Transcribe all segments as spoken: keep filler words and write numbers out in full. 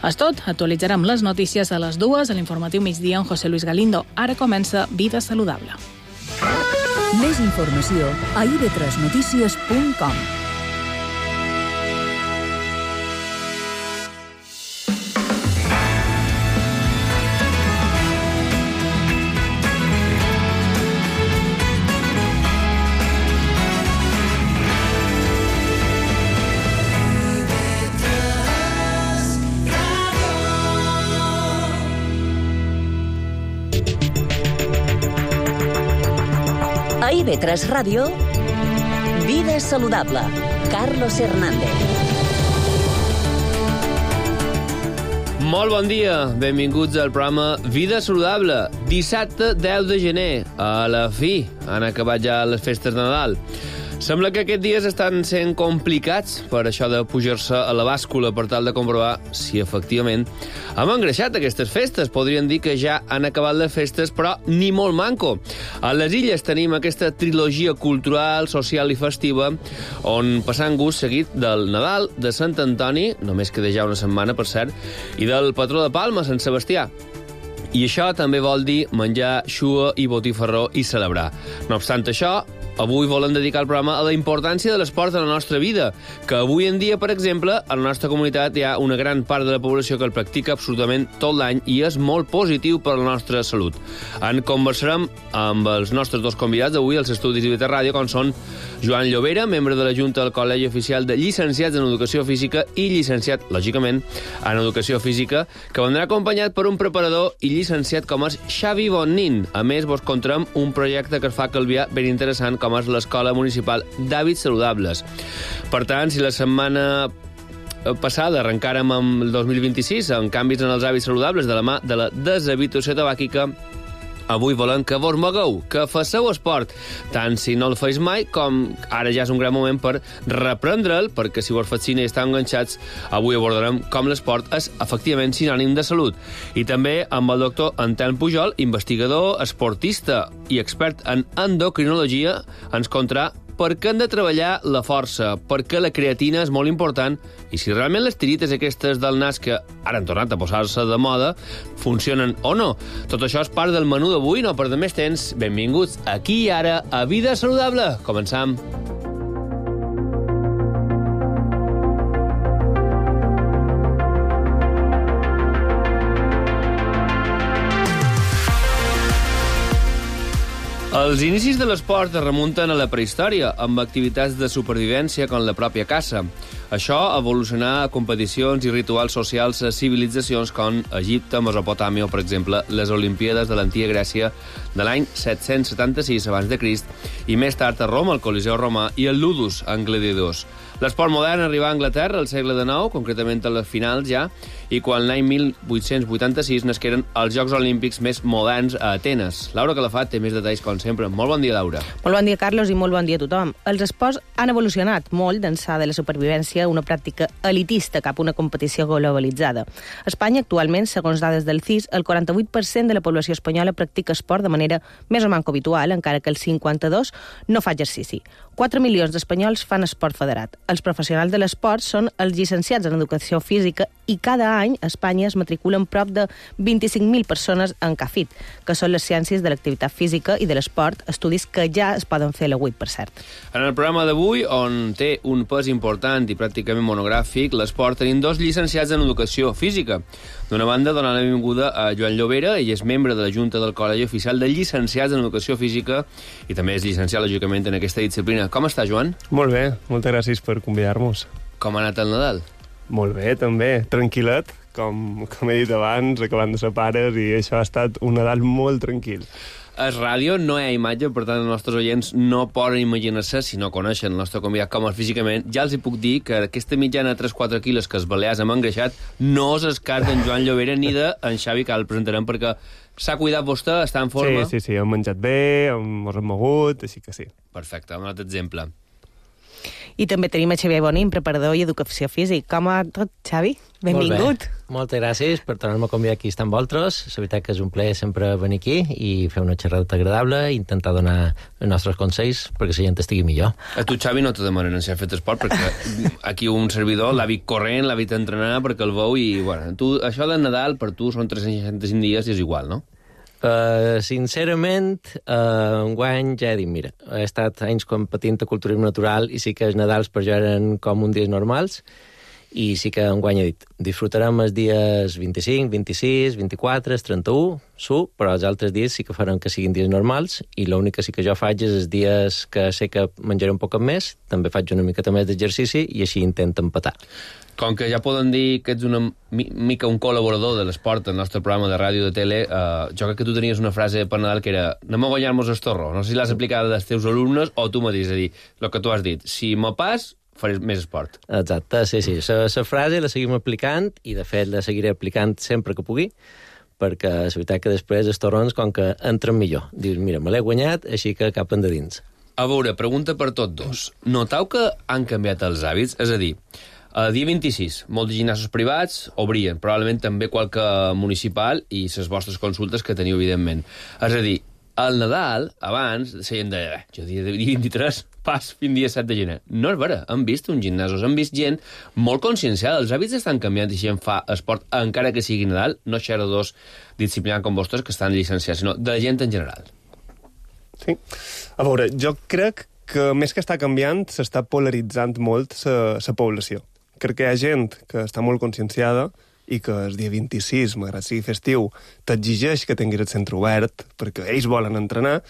És tot, actualitzarem les notícies a les dues a l'informatiu migdia amb José Luis Galindo. Ara comença Vida Saludable. Més informació a i ve tres notícies punt com. A i ve tres Ràdio, Vida Saludable, Carlos Hernández. Molt bon dia, benvinguts al programa Vida Saludable. Dissabte deu de gener, a la fi, han acabat ja les festes de Nadal. Sembla que aquests dies estan sent complicats per això de pujar-se a la bàscula per tal de comprovar si efectivament hem engreixat aquestes festes. Podríem dir que ja han acabat les festes, però ni molt manco. A les Illes tenim aquesta trilogia cultural, social i festiva on passant gust seguit del Nadal, de Sant Antoni, només queda ja una setmana, per cert, i del patró de Palma, Sant Sebastià. I això també vol dir menjar xua i botifarró i celebrar. No obstant això, avui volem dedicar el programa a la importància de l'esport en la nostra vida, que avui en dia, per exemple, a la nostra comunitat hi ha una gran part de la població que el practica absolutament tot l'any i és molt positiu per a la nostra salut. En conversarem amb els nostres dos convidats avui als estudis de I V tres Ràdio, com són Joan Llobera, membre de la Junta del Col·legi Oficial de Llicenciats en Educació Física i llicenciat, lògicament, en Educació Física, que vendrà acompanyat per un preparador i llicenciat com és Xavi Bonnin. A més, vos contarem un projecte que es fa a Calvià ben interessant, com és l'Escola Municipal d'Hàbits Saludables. Per tant, si la setmana passada arrencàrem amb el dos mil vint-i-sis amb canvis en els hàbits saludables de la mà de la deshabituació tabàquica, avui volem que vos mogueu, que faceu esport, tant si no el feis mai com ara ja és un gran moment per reprendre'l, perquè si vos fas cine i esteu enganxats, avui abordarem com l'esport és efectivament sinònim de salut. I també amb el doctor Anselm Pujol, investigador, esportista i expert en endocrinologia, ens contarà per què hem de treballar la força, per què la creatina és molt important i si realment les tirites aquestes del nas que ara han tornat a posar-se de moda funcionen o no. Tot això és part del menú d'avui, no perdem més temps. Benvinguts aquí i ara a Vida Saludable. Començam. Els inicis de l'esport es remunten a la prehistòria, amb activitats de supervivència com la pròpia caça. Això evolucionà a competicions i rituals socials a civilitzacions com Egipte, Mesopotàmia o, per exemple, les Olimpíades de l'antiga Grècia de l'any set-cents setanta-sis abans de Crist i més tard a Roma, el Coliseu romà i el Ludus, en gladiadors. L'esport modern arribà a Anglaterra al segle dinou, concretament a les finals ja, i quan l'any mil vuit-cents vuitanta-sis nasqueren els Jocs Olímpics més moderns a Atenes. Laura Calafat té més detalls, com sempre. Molt bon dia, Laura. Molt bon dia, Carlos, i molt bon dia a tothom. Els esports han evolucionat molt d'ençà de la supervivència, una pràctica elitista cap a una competició globalitzada. A Espanya, actualment, segons dades del C I S, el quaranta-vuit per cent de la població espanyola practica esport de manera més o manco habitual, encara que el cinquanta-dos per cent no fa exercici. quatre milions d'espanyols fan esport federat. Els professionals de l'esport són els llicenciats en Educació Física i cada any a Espanya es matriculen prop de vint-i-cinc mil persones en C A F I T, que són les ciències de l'activitat física i de l'esport, estudis que ja es poden fer a la U I T, per cert. En el programa d'avui, on té un pes important i pràcticament monogràfic, l'esport, tenim dos llicenciats en Educació Física. D'una banda, donant la benvinguda a Joan Llobera, ell és membre de la Junta del Col·legi Oficial de Llicenciats en Educació Física i també és llicenciat, lògicament, en aquesta disciplina. Com està, Joan? Molt bé, moltes gràcies per convidar-nos. Com ha anat el Nadal? Molt bé, també. Tranquil·let, com, com he dit abans, acabant de ser pares, i això ha estat un Nadal molt tranquil. A ràdio no hi ha imatge, per tant els nostres oients no poden imaginar-se, si no coneixen el nostre convidat com és físicament. Ja els hi puc dir que aquesta mitjana de tres a quatre quilos que els balears hem engreixat no és el cas d'en Joan Llobera ni d'en Xavi, que el presentarem, perquè s'ha cuidat vostè, està en forma. Sí, sí, sí, hem menjat bé, hem, ens hem mogut, així que sí. Perfecte, un altre exemple. I també tenim a Xavier Bonín, preparador i educació físic. Com va tot, Xavi? Benvingut. Moltes gràcies per tornar-me a convidar aquí a estar amb vosaltres. La veritat que és un plaer sempre venir aquí i fer una xerrada agradable i intentar donar els nostres consells perquè la gent estigui millor. A tu, Xavi, no te demanen si ha fet esport, perquè aquí un servidor l'ha vist corrent, l'ha vist entrenar perquè el veu i, bueno, tu, això de Nadal per tu són tres-cents seixanta-cinc dies i és igual, no? Uh, sincerament, uh, enguany ja he dit, mira, he estat anys competint a culturisme natural i sí que els Nadals per jo eren com uns dies normals i sí que enguany he dit, disfrutarem els dies vint-i-cinc, vint-i-sis, vint-i-quatre, trenta-u, su, però els altres dies sí que farem que siguin dies normals i l'únic que sí que jo faig és els dies que sé que menjaré un poc més, també faig una miqueta més d'exercici i així intento empatar. Com que ja poden dir que ets una mica un col·laborador de l'esport al nostre programa de ràdio de tele, eh, jo crec que tu tenies una frase per Nadal que era anem a guanyar-nos el torro. No sé si l'has aplicada als teus alumnes o tu mateix, és a dir, el que tu has dit. Si me pas, faré més esport. Exacte, sí, sí. La frase la seguim aplicant i, de fet, la seguiré aplicant sempre que pugui, perquè és veritat que després els torrons, com que entren millor. Dius, mira, me l'he guanyat, així que cap endins. A veure, pregunta per tots dos. Notau que han canviat els hàbits? És a dir, el dia vint-i-sis, molts gimnasos privats obrien, probablement també qualque municipal i les vostres consultes que teniu, evidentment. És a dir, al Nadal, abans, seien de... Eh, jo dia vint-i-tres, pas fins dia set de gener. No és vera, hem vist uns gimnasos, hem vist gent molt conscienciada. Els hàbits estan canviant i gent fa esport, encara que sigui Nadal, no xerradors disciplinats com vostres que estan llicenciats, sinó de gent en general. Sí. A veure, jo crec que més que està canviant, s'està polaritzant molt la població. Crec que hi ha gent que està molt conscienciada i que el dia vint-i-sis, malgrat sigui festiu, t'exigeix que tinguis el centre obert perquè ells volen entrenar,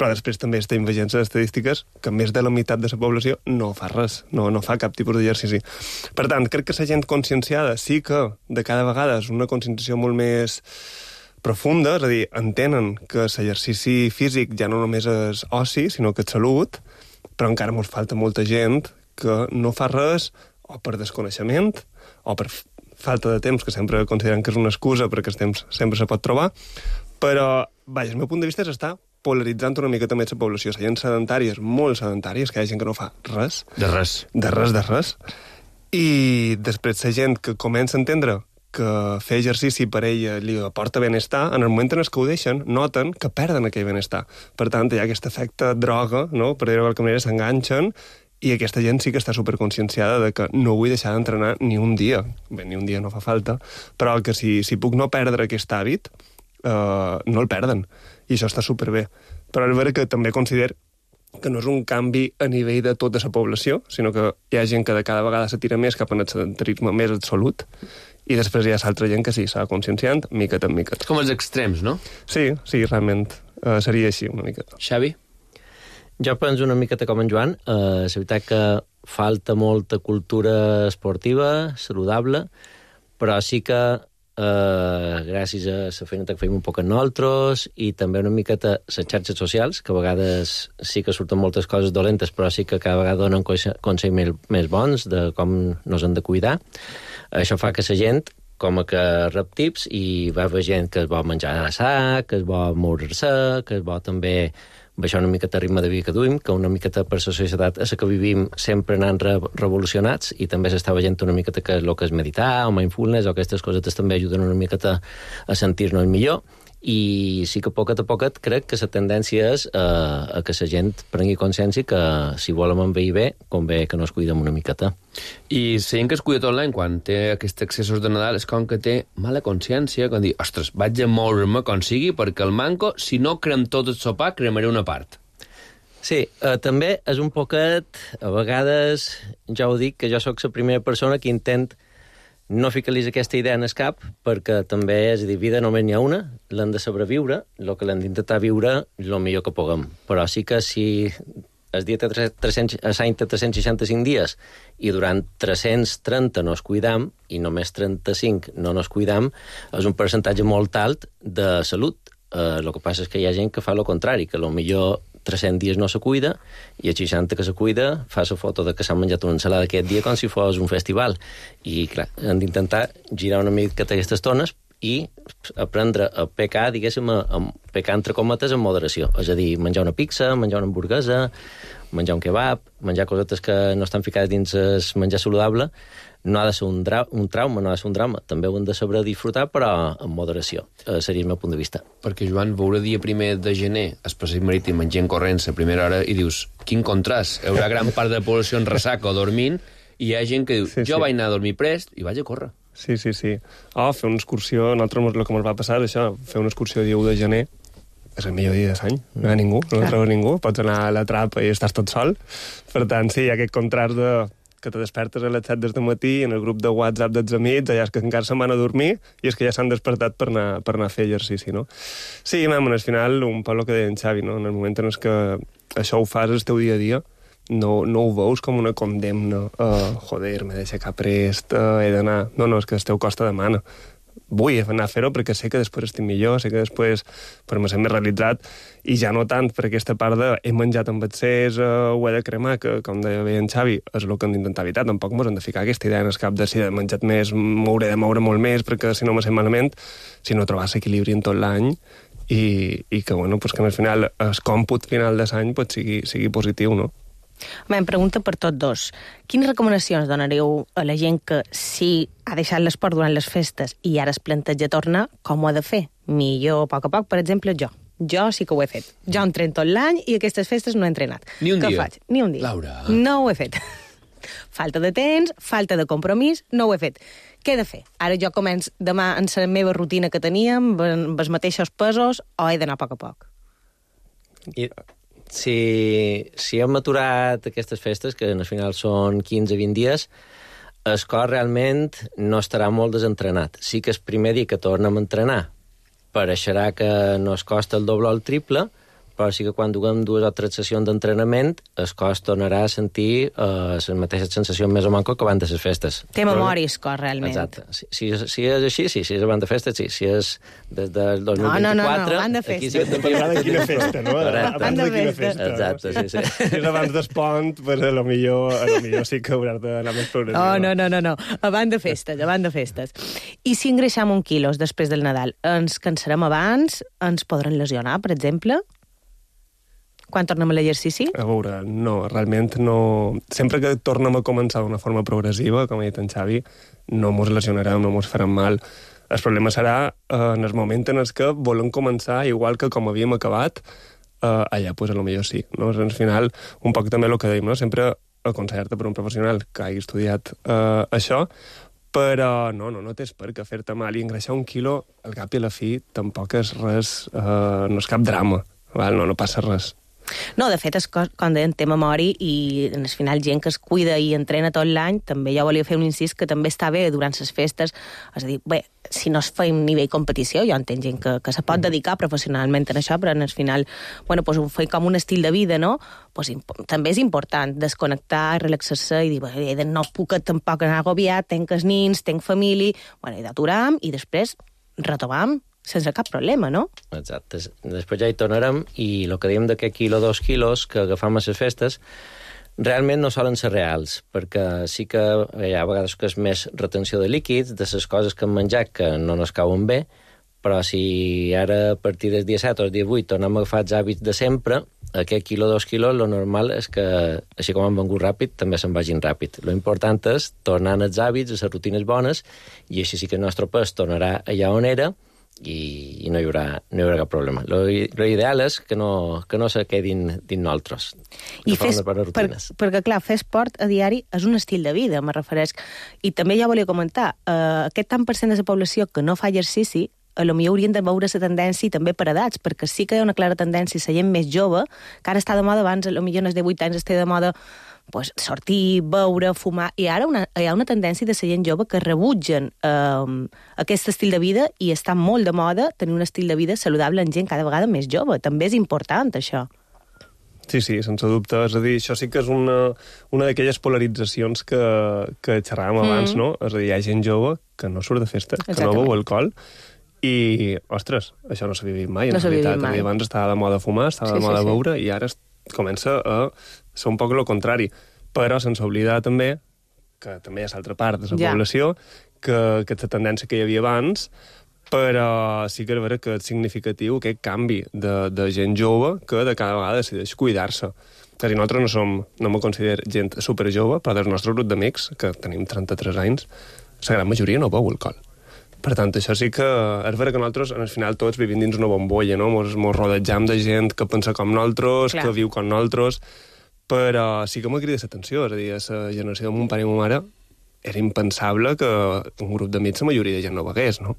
però després també estem veient les estadístiques que més de la meitat de la població no fa res, no, no fa cap tipus d'exercici. Per tant, crec que la gent conscienciada sí que de cada vegada és una conscienciació molt més profunda, és a dir, entenen que l'exercici físic ja no només és oci, sinó que és salut, però encara ens falta molta gent que no fa res o per desconeixement o per falta de temps, que sempre consideren que és una excusa perquè el temps sempre se pot trobar, però, vaja, el meu punt de vista és estar polaritzant una miqueta més la població. La gent sedentària és molt sedentària, és que hi ha gent que no fa res. De res. De res, de res. I després la gent que comença a entendre que fer exercici per ella li aporta benestar, en el moment en què ho deixen, noten que perden aquell benestar. Per tant, hi ha aquest efecte droga, no? Per dir-ho de qualque manera, s'enganxen, i aquesta gent sí que està superconscienciada de que no vull deixar d'entrenar ni un dia. Bé, ni un dia no fa falta, però que si, si puc no perdre aquest hàbit, eh, no el perden. I això està superbé. Però és vera que també considero que no és un canvi a nivell de tota la població, sinó que hi ha gent que de cada vegada se tira més cap al sedentarisme més absolut, i després hi ha l'altra gent que sí, s'ha conscienciant, miqueta en miqueta. Com els extrems, no? Sí, sí, realment eh, seria així una miqueta. Xavi? Jo penso una miqueta com en Joan. Eh, és veritat que falta molta cultura esportiva, saludable, però sí que eh, gràcies a la feina que fem un poc en nosaltres i també una miqueta les xarxes socials, que a vegades sí que surten moltes coses dolentes, però sí que cada vegada donen consells més, més bons de com nos hem de cuidar. Això fa que la gent com a que rep tips i va haver gent que es vol menjar a sa, que es vol moure-se, que es vol també baixar una miqueta el ritme de vida que duim, que una miqueta per la societat a la que vivim sempre anant re revolucionats i també s'està veient una miqueta que és el que és meditar o mindfulness o aquestes cosetes també ajuden una miqueta a sentir-nos millor. I sí que poquet a poquet crec que la tendència és a, a que la gent prengui consciència que si volem envellir bé, convé que no es cuidem una miqueta. I la gent que es cuida tot l'any, quan té aquests excessos de Nadal, és com que té mala consciència, quan diu, ostres, vaig a moure'm com sigui, perquè el manco, si no crem tot el sopar, cremaré una part. Sí, eh, també és un poquet, a vegades, ja ho dic, que jo sóc la primera persona que intent no ficar-los aquesta idea en el cap, perquè també, és a dir, vida només n'hi ha una, l'hem de sobreviure, el que l'hem d'intentar viure el millor que puguem. Però sí que si el dia té tres-cents seixanta-cinc dies i durant tres-cents trenta no es cuidam i només trenta-cinc no nos cuidam, és un percentatge molt alt de salut. Eh, el que passa és que hi ha gent que fa el contrari, que potser tres-cents dies no se cuida i a seixanta que se cuida fa la foto de que s'ha menjat una ensalada aquest dia com si fos un festival. I, clar, hem d'intentar girar una mica aquestes tones i aprendre a pecar, diguéssim, a, a pecar entre cometes en moderació. És a dir, menjar una pizza, menjar una hamburguesa, menjar un kebab, menjar cosetes que no estan ficades dins el menjar saludable, no ha de ser un, dra un trauma, no ha de ser un drama. També ho hem de saber disfrutar, però amb moderació. Eh, seria el meu punt de vista. Perquè, Joan, veure dia primer de gener el passeig marítim en gent corrent a primera hora i dius, quin contrast, hi haurà gran part de la població en ressaca o dormint, i hi ha gent que diu, sí, jo sí. vaig anar a dormir prest i vaig a córrer. Sí, sí, sí. Oh, fer una excursió, a nosaltres el que ens va passar, això, fer una excursió dia u de gener, és el millor dia de l'any, no hi ha ningú, no hi trobo ningú, pots anar a la trapa i estàs tot sol. Per tant, sí, hi ha aquest contrast de que te despertes a les set del matí en el grup de WhatsApp dels amics, allà és que encara se'n van a dormir i és que ja s'han despertat per anar, per anar a fer exercici, no? Sí, mam, al final, un poc el que deia en Xavi, no? En el moment en què això ho fas el teu dia a dia, no, no ho veus com una condemna. Uh, joder, m'he d'aixecar prest, uh, he d'anar... No, no, és que el teu costa demana. Vull anar a fer-ho perquè sé que després estic millor, sé que després per me ser més realitzat, i ja no tant per aquesta part de he menjat amb excés, uh, ho he de cremar, que, com deia bé en Xavi, és el que hem d'intentar evitar. Tampoc mos hem de ficar aquesta idea en el cap de si he menjat més, m'hauré de moure molt més, perquè si no me sent malament, sinó trobar l'equilibri en tot l'any i, i que, bueno, pues que al final el còmput final de l'any pues, sigui, sigui positiu, no? Home, em pregunta per tots dos. Quines recomanacions donareu a la gent que si ha deixat l'esport durant les festes i ara es planteja tornar, com ho ha de fer? Millor a poc a poc, per exemple, jo. Jo sí que ho he fet. Jo entreno tot l'any i aquestes festes no he entrenat. Ni un Què dia? faig? Ni un dia. Laura. No ho he fet. Falta de temps, falta de compromís, no ho he fet. Què he de fer? Ara jo començo demà en la meva rutina que teníem, amb els mateixos pesos, o he d'anar a poc a poc? I si, si hem aturat aquestes festes, que al final són quinze a vint dies, el cos realment no estarà molt desentrenat. Sí que el primer dia que tornem a entrenar pareixerà que no es costa el doble o el triple, però sí que quan duguem dues o tres sessions d'entrenament el cos tornarà a sentir eh, les mateixes sensacions més o manco que abans de les festes. Té memòria el cos, realment. Exacte. Si, si, si és així, sí, si és abans de festes, sí. Si és des del dos mil No, no, no, vint-i-quatre... no, abans de aquí festes. sí que també hi ha Dependrà de quina festa, no? Correcte. Abans de quina Abans de festa. Exacte, sí, sí. Si és abans d'espont, pues a lo millor, a lo millor sí que hauràs d'anar més progressiu. Oh, no, no, no, no. Abans de festes, abans de festes. I si engreixam un quilos després del Nadal, ens cansarem abans? Ens podran lesionar, per exemple? Quan tornem a l'exercici? A veure, no, realment no... Sempre que tornem a començar d'una forma progressiva, com ha dit en Xavi, no mos lesionarem, no mos farem mal. El problema serà eh, en el moment en el que volem començar, igual que com havíem acabat, eh, allà, pues, a lo millor sí. No? Al final, un poc també el que dèiem, no? Sempre aconsellar-te per un professional que hagi estudiat eh, això, però no, no, no tens per què fer-te mal. I engreixar un quilo, al cap i a la fi, tampoc és res... Eh, no és cap drama, val? No, no passa res. No, de fet, és com deien, té memòria i al final gent que es cuida i entrena tot l'any, també ja volia fer un incís que també està bé durant les festes. És a dir, bé, si no es fa un nivell competició, jo entenc gent que, que se pot dedicar professionalment en això, però al final, bueno, pues, ho fa com un estil de vida, no? Pues, també és important desconnectar, relaxar-se i dir, bé, no puc tampoc anar agobiat, tenc els nins, tenc família... Bueno, i d'aturam i després retomam sense cap problema, no? Exacte. Després ja hi tornarem i el que dèiem d'aquest quilo, dos quilos que agafam a les festes realment no solen ser reals, perquè sí que hi ha vegades que és més retenció de líquids, de les coses que hem menjat que no ens cauen bé, però si ara a partir del dia set o el dia vuit tornem a agafar els hàbits de sempre, aquest quilo, dos quilos, lo normal és que, així com han vengut ràpid, també se'n vagin ràpid. Lo important és tornar als hàbits, a les rutines bones, i així sí que el nostre pes tornarà allà on era, i, i no, hi haurà, no hi haurà cap problema. Lo, lo ideal és que no, que no se quedin dins nosaltres. I fes, per, perquè, clar, fer esport a diari és un estil de vida, me refereix. I també ja volia comentar, eh, aquest tant per cent de la població que no fa exercici, a lo millor haurien de veure la tendència també per edats, perquè sí que hi ha una clara tendència a la gent més jove, que ara està de moda, abans a lo millor en els divuit anys està de moda pues, sortir, beure, fumar, i ara una, hi ha una tendència de la gent jove que rebutgen eh, aquest estil de vida i està molt de moda tenir un estil de vida saludable en gent cada vegada més jove. També és important, això. Sí, sí, sense dubte. És a dir, això sí que és una, una d'aquelles polaritzacions que, que xerràvem abans, mm. no? És a dir, hi ha gent jove que no surt de festa, que no beu alcohol, i, ostres, això no s'ha vivit mai, en no realitat. Mai. Abans estava de moda fumar, estava sí, de moda sí, beure, sí. I ara comença a ser un poc el contrari. Però sense oblidar també que també hi ha l'altra part de la ja. població, que aquesta tendència que hi havia abans, però sí que és vera que és significatiu aquest canvi de, de gent jove que de cada vegada decideix cuidar-se. És a dir, nosaltres no som, no me considero gent superjove, però del nostre grup d'amics, que tenim trenta-tres anys, la gran majoria no beu alcohol. Per tant, això sí que és vera que nosaltres, al final, tots vivim dins una bombolla, no? Mos, mos rodejam de gent que pensa com nosaltres, Clar. que viu com nosaltres, però sí que m'ha cridat l'atenció. És a dir, a la generació de mon pare i ma mare era impensable que un grup d'amics la majoria de gent no begués, no?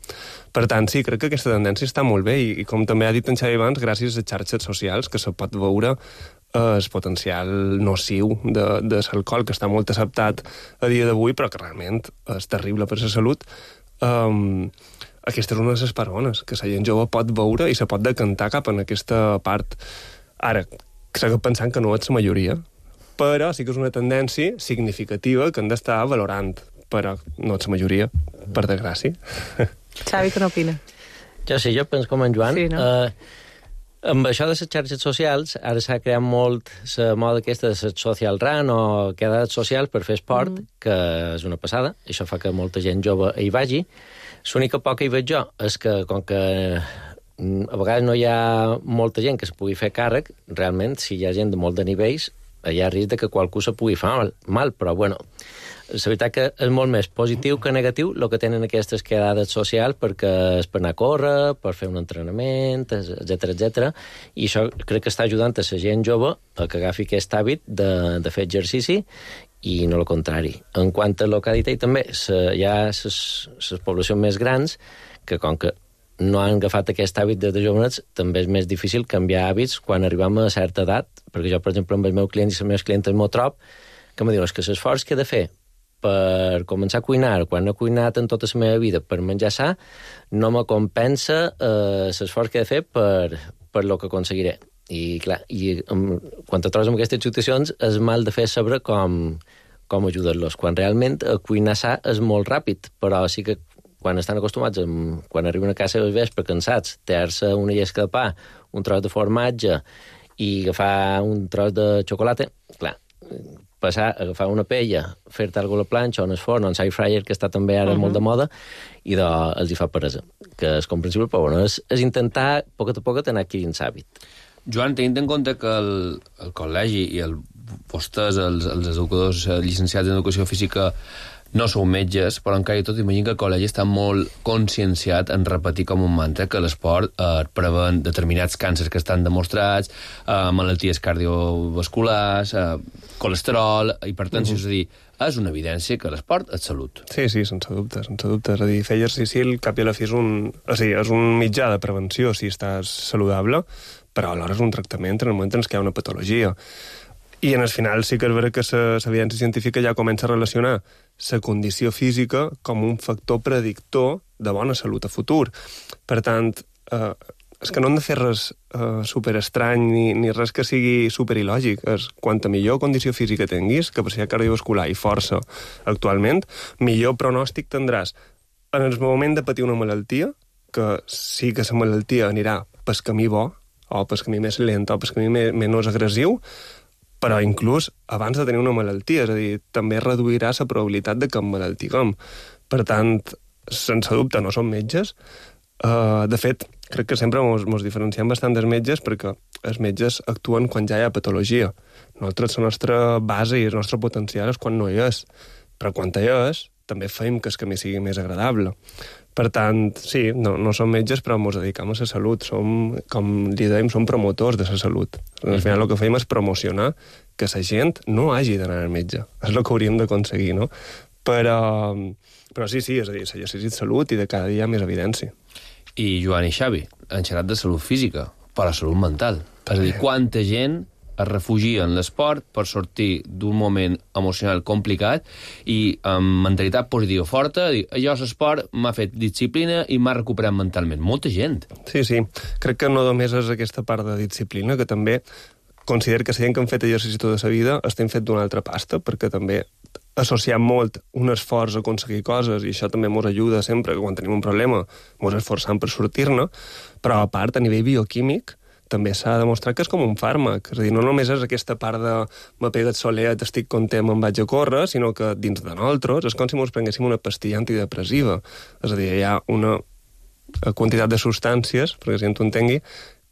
Per tant, sí, crec que aquesta tendència està molt bé i, i com també ha dit en Xavi abans, gràcies a les xarxes socials que se pot veure el potencial nociu de, de l'alcohol, que està molt acceptat a dia d'avui, però que realment és terrible per la salut. Um, aquesta és una de les parones, que la gent jove pot veure i se pot decantar cap en aquesta part. Ara, seguim pensant que no és la majoria, però sí que és una tendència significativa que hem d'estar valorant, però no ets la majoria, per desgràcia. Xavi, què n'opina? Jo sí, jo penso com en Joan. Sí, no? Uh, amb això de les xarxes socials, ara s'ha creat molt la moda aquesta de les social run o quedades socials per fer esport, mm. que és una passada. Això fa que molta gent jove hi vagi. L'única por que hi veig jo és que, com que a vegades no hi ha molta gent que se pugui fer càrrec, realment, si hi ha gent de molt de nivells, hi ha risc que qualcú se pugui fer mal, mal, però bueno, la veritat que és molt més positiu que negatiu el que tenen aquestes quedades socials, perquè és per anar a córrer, per fer un entrenament, etcètera, etcètera, i això crec que està ajudant a la gent jove a que agafi aquest hàbit de, de fer exercici i no el contrari. En quant a el que ha dit ell, també hi ha les poblacions més grans que, com que no han agafat aquest hàbit de, de jovenets, també és més difícil canviar hàbits quan arribem a certa edat, perquè jo, per exemple, amb els meus clients i les meves clientes m'ho trob, que me diuen que l'esforç que he de fer per començar a cuinar, quan he cuinat en tota la meva vida per menjar sa, no me compensa eh, l'esforç que he de fer per, per lo que aconseguiré. I, clar, i um, quan te trobes amb aquestes situacions és mal de fer saber com, com ajudar-los, quan realment a cuinar sa és molt ràpid, però sí que quan estan acostumats, amb, quan arriben a casa al vespre cansats, tallar-se una llesca de pa, un tros de formatge i agafar un tros de xocolata, clar, passar a agafar una paella, fer-te alguna a la planxa o en el forn, o en l'air fryer, que està també ara uh -huh. molt de moda, i de, els hi fa peresa, que és comprensible, però bueno, és, és intentar, a poc a poc, anar adquirint l'hàbit. Joan, tenint en compte que el, el col·legi i el, vostès, els, els educadors llicenciats en educació física, no sou metges, però encara i tot imagino que el col·legi està molt conscienciat en repetir com un mantra que l'esport eh, prevent determinats càncers que estan demostrats, eh, malalties cardiovasculars, eh, colesterol, hipertensió, uh -huh. és a dir, és una evidència que l'esport és salut. Sí, sí, sense dubte, sense dubte. És a dir, fer exercici al cap i a la fi és un, o sigui, és un mitjà de prevenció si estàs saludable, però alhora és un tractament en el moment en què hi ha una patologia. I en el final sí que és vera que l'evidència científica ja comença a relacionar la condició física com un factor predictor de bona salut a futur. Per tant, eh, és que no hem de fer res eh, superestrany ni, ni res que sigui superilògic. És, quanta millor condició física tinguis, capacitat cardiovascular i força actualment, millor pronòstic tindràs en el moment de patir una malaltia, que sí que la malaltia anirà pel camí bo, o pel camí més lent, o pel camí menys agressiu, però inclús abans de tenir una malaltia, és a dir, també reduirà la probabilitat de que em malaltiguem. Per tant, sense dubte, no som metges. Uh, de fet, crec que sempre mos, mos diferenciem bastant dels metges perquè els metges actuen quan ja hi ha patologia. Nosaltres, la nostra base i el nostre potencial és quan no hi és. Però quan hi és, també fem que el camí sigui més agradable. Per tant, sí, no, no som metges, però ens dedicam a la salut. Som, com li dèiem, som promotors de la salut. Al final el que fem és promocionar que la gent no hagi d'anar al metge. És el que hauríem d'aconseguir, no? Però, però sí, sí, és a dir, l'exercici de salut i de cada dia més evidència. I Joan i Xavi, han xerrat de salut física, però salut mental. És a dir, quanta gent es refugia en l'esport per sortir d'un moment emocional complicat i amb mentalitat positiva forta, dir, allò l'esport m'ha fet disciplina i m'ha recuperat mentalment. Molta gent. Sí, sí. Crec que no només és aquesta part de disciplina, que també considero que la gent que han fet exercici tota la vida estem fet d'una altra pasta, perquè també associem molt un esforç a aconseguir coses i això també ens ajuda sempre, que quan tenim un problema ens esforçam per sortir-ne, però a part, a nivell bioquímic, també s'ha demostrat que és com un fàrmac. És a dir, no només és aquesta part de m'ha pegat solet, estic content, me'n vaig a córrer, sinó que dins de nosaltres és com si ens prenguéssim una pastilla antidepressiva. És a dir, hi ha una quantitat de substàncies, perquè si tu entengui,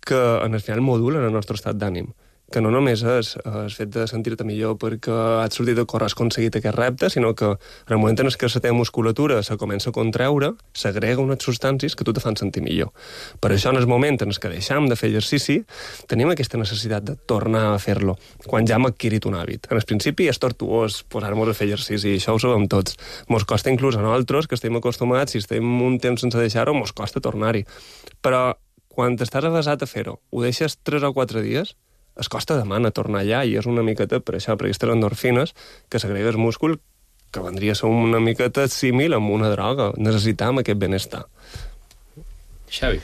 que en el final modulen el nostre estat d'ànim, que no només és el fet de sentir-te millor perquè has sortit a córrer, has aconseguit aquest repte, sinó que en el moment en què la teva musculatura se comença a contraure, s'agrega unes substàncies que tu te fan sentir millor. Per això, en el moment en què deixam de fer exercici, tenim aquesta necessitat de tornar a fer-lo, quan ja hem adquirit un hàbit. En el principi és tortuós posar-nos a fer exercici, això ho sabem tots. Mos costa inclús a nosaltres, que estem acostumats, si estem un temps sense deixar-ho, mos costa tornar-hi. Però quan estàs avasat a fer-ho, ho deixes tres o quatre dies, es costa demana tornar allà, i és una miqueta per això, per aquestes endorfines que s'agrega al múscul, que vendria a ser una miqueta símil amb una droga. Necessitam aquest benestar. Xavi.